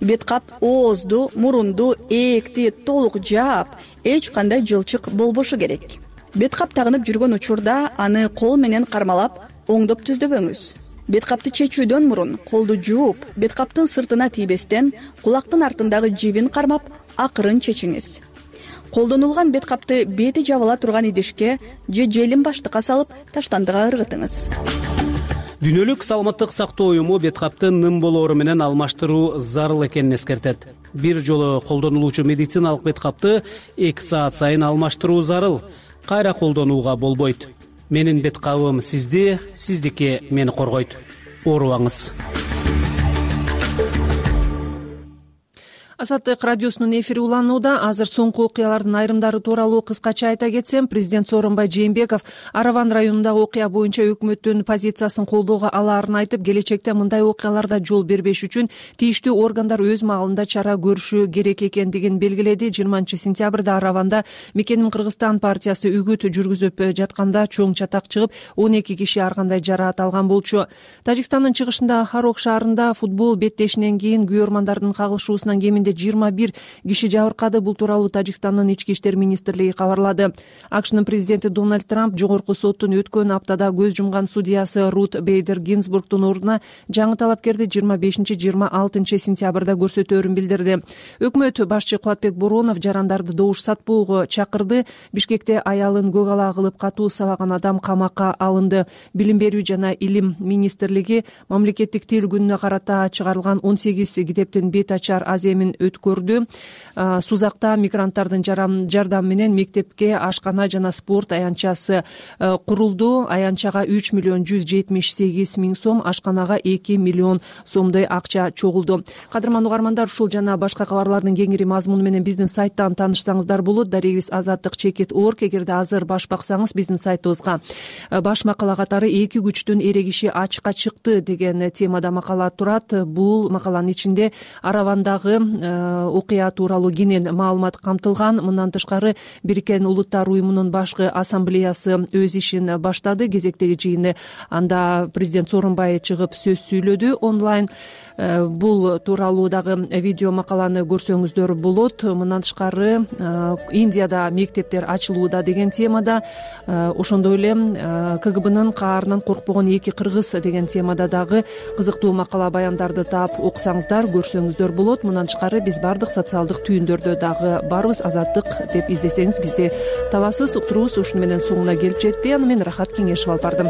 Бет кап оозду, мурунду, ээкти толук жаап, эч кандай жылчык болбошу керек. Бет кап тагынып жүргөн учурда аны кол менен кармалап, оңдоп түздөбөңүз. Бет капты чечүүдөн мурун колду жууп, бет каптын сыртына тийбестен кулактын артындагы жибин кармап, акырын чечиңиз. Колдонулган бет капты бети жабыла турган идишке же желим баштыкка салып, таштандыга ыргытыңыз. Дүйнөлүк саламаттык сактоо уюму бет капты ным болоору менен алмаштыруу зарыл экенин эскертет. Бир жолу колдонулуучу медициналык бет капты 2 саат сайын алмаштыруу зарыл. Кайра колдонууга болбойт. Менин бет кабым сизди, сиздики мени коргойт. Оорубаңыз. Азаттык радиосунун эфири уланууда. Азыр соңку окуялардын айрымдары тууралуу кыскача айта кетсем, президент Сооронбай Жээнбеков Араван районундагы окуя боюнча өкмөттүн позициясын колдоого алаарын айтып, келечекте мындай окуяларда жол бербеш үчүн тийиштүү органдар өз маалында чара көрүшү керек экендигин белгиледи. 20-сентябрда Араванда Мекеним Кыргызстан партиясы үгүт жүргүзүп жатканда чоң чатак чыгып, 12 киши ар кандай жараат алган болчу. Тажикстандын чыгышында Харок шаарында футбол беттешинен кийин күйөрмандардын кагылышуусунан кеминде 21 киши жабыркады. Бул тууралуу Тажикстандын ички иштер министрлиги кабарлады. АКШнын президенти Дональд Трамп жогорку соттун өткөн аптада көз жумган судьясы Рут Бейдер Гинзбургдун ордуна жаңы талапкерди 25-26 сентябрда көрсөтөөрүн билдирди. Өкмөт башчы Кубатбек Боронов жарандарды добуш сатпоого чакырды. Бишкекте аялын көк ала кылып катуу сабаган адам камакка алынды. Билим берүү жана илим министрлиги мамлекеттик тил күнүнө карата чыгарылган 18 китептин бет ачар аземин өткөрдү. Сузакта мигранттардын жардамы менен мектепке ашкана жана спорт аянтчасы курулду. Аянтчага 3.178.000 сом, ашканага 2 миллион сомдой акча чогулду. Кадырман угармандар, ушул жана башка кабарлардын кеңири мазмуну менен биздин сайттан таанышсаңыздар болот. Дарегибиз azattik.org. Эгерде азыр баш баксаңыз, биздин сайтыбызга баш макала катары «Эки күчтүн эрегиши ачыкка чыкты» деген темада макала турат. Бул макаланын ичинде Аравандагы окуя тууралуу кенен маалымат камтылган. Мындан тышкары Бириккен Улуттар уюмунун башкы ассамблеясы өз ишин баштады. Кезектеги жыйыны анда президент Сооронбай чыгып сөз сүйлөдү онлайн. Бул тууралуу дагы видео макаланы көрсөңүздөр болот. Мындан тышкары Индияда мектептер ачылууда деген темада, ошондой эле КГБнын каарынан коркпогон эки кыргыз деген темада дагы кызыктуу макала баяндарды таап окусаңыздар, көрсөңүздөр болот. Мындан тышкары биз бардык социалдык түйүндөрдө дагы барбыз. Азаттык деп издесеңиз бизди табасыз. Уктуруубуз ушуну менен соңуна келип жетти. Аны мен Рахат Кеңешев алып бардым.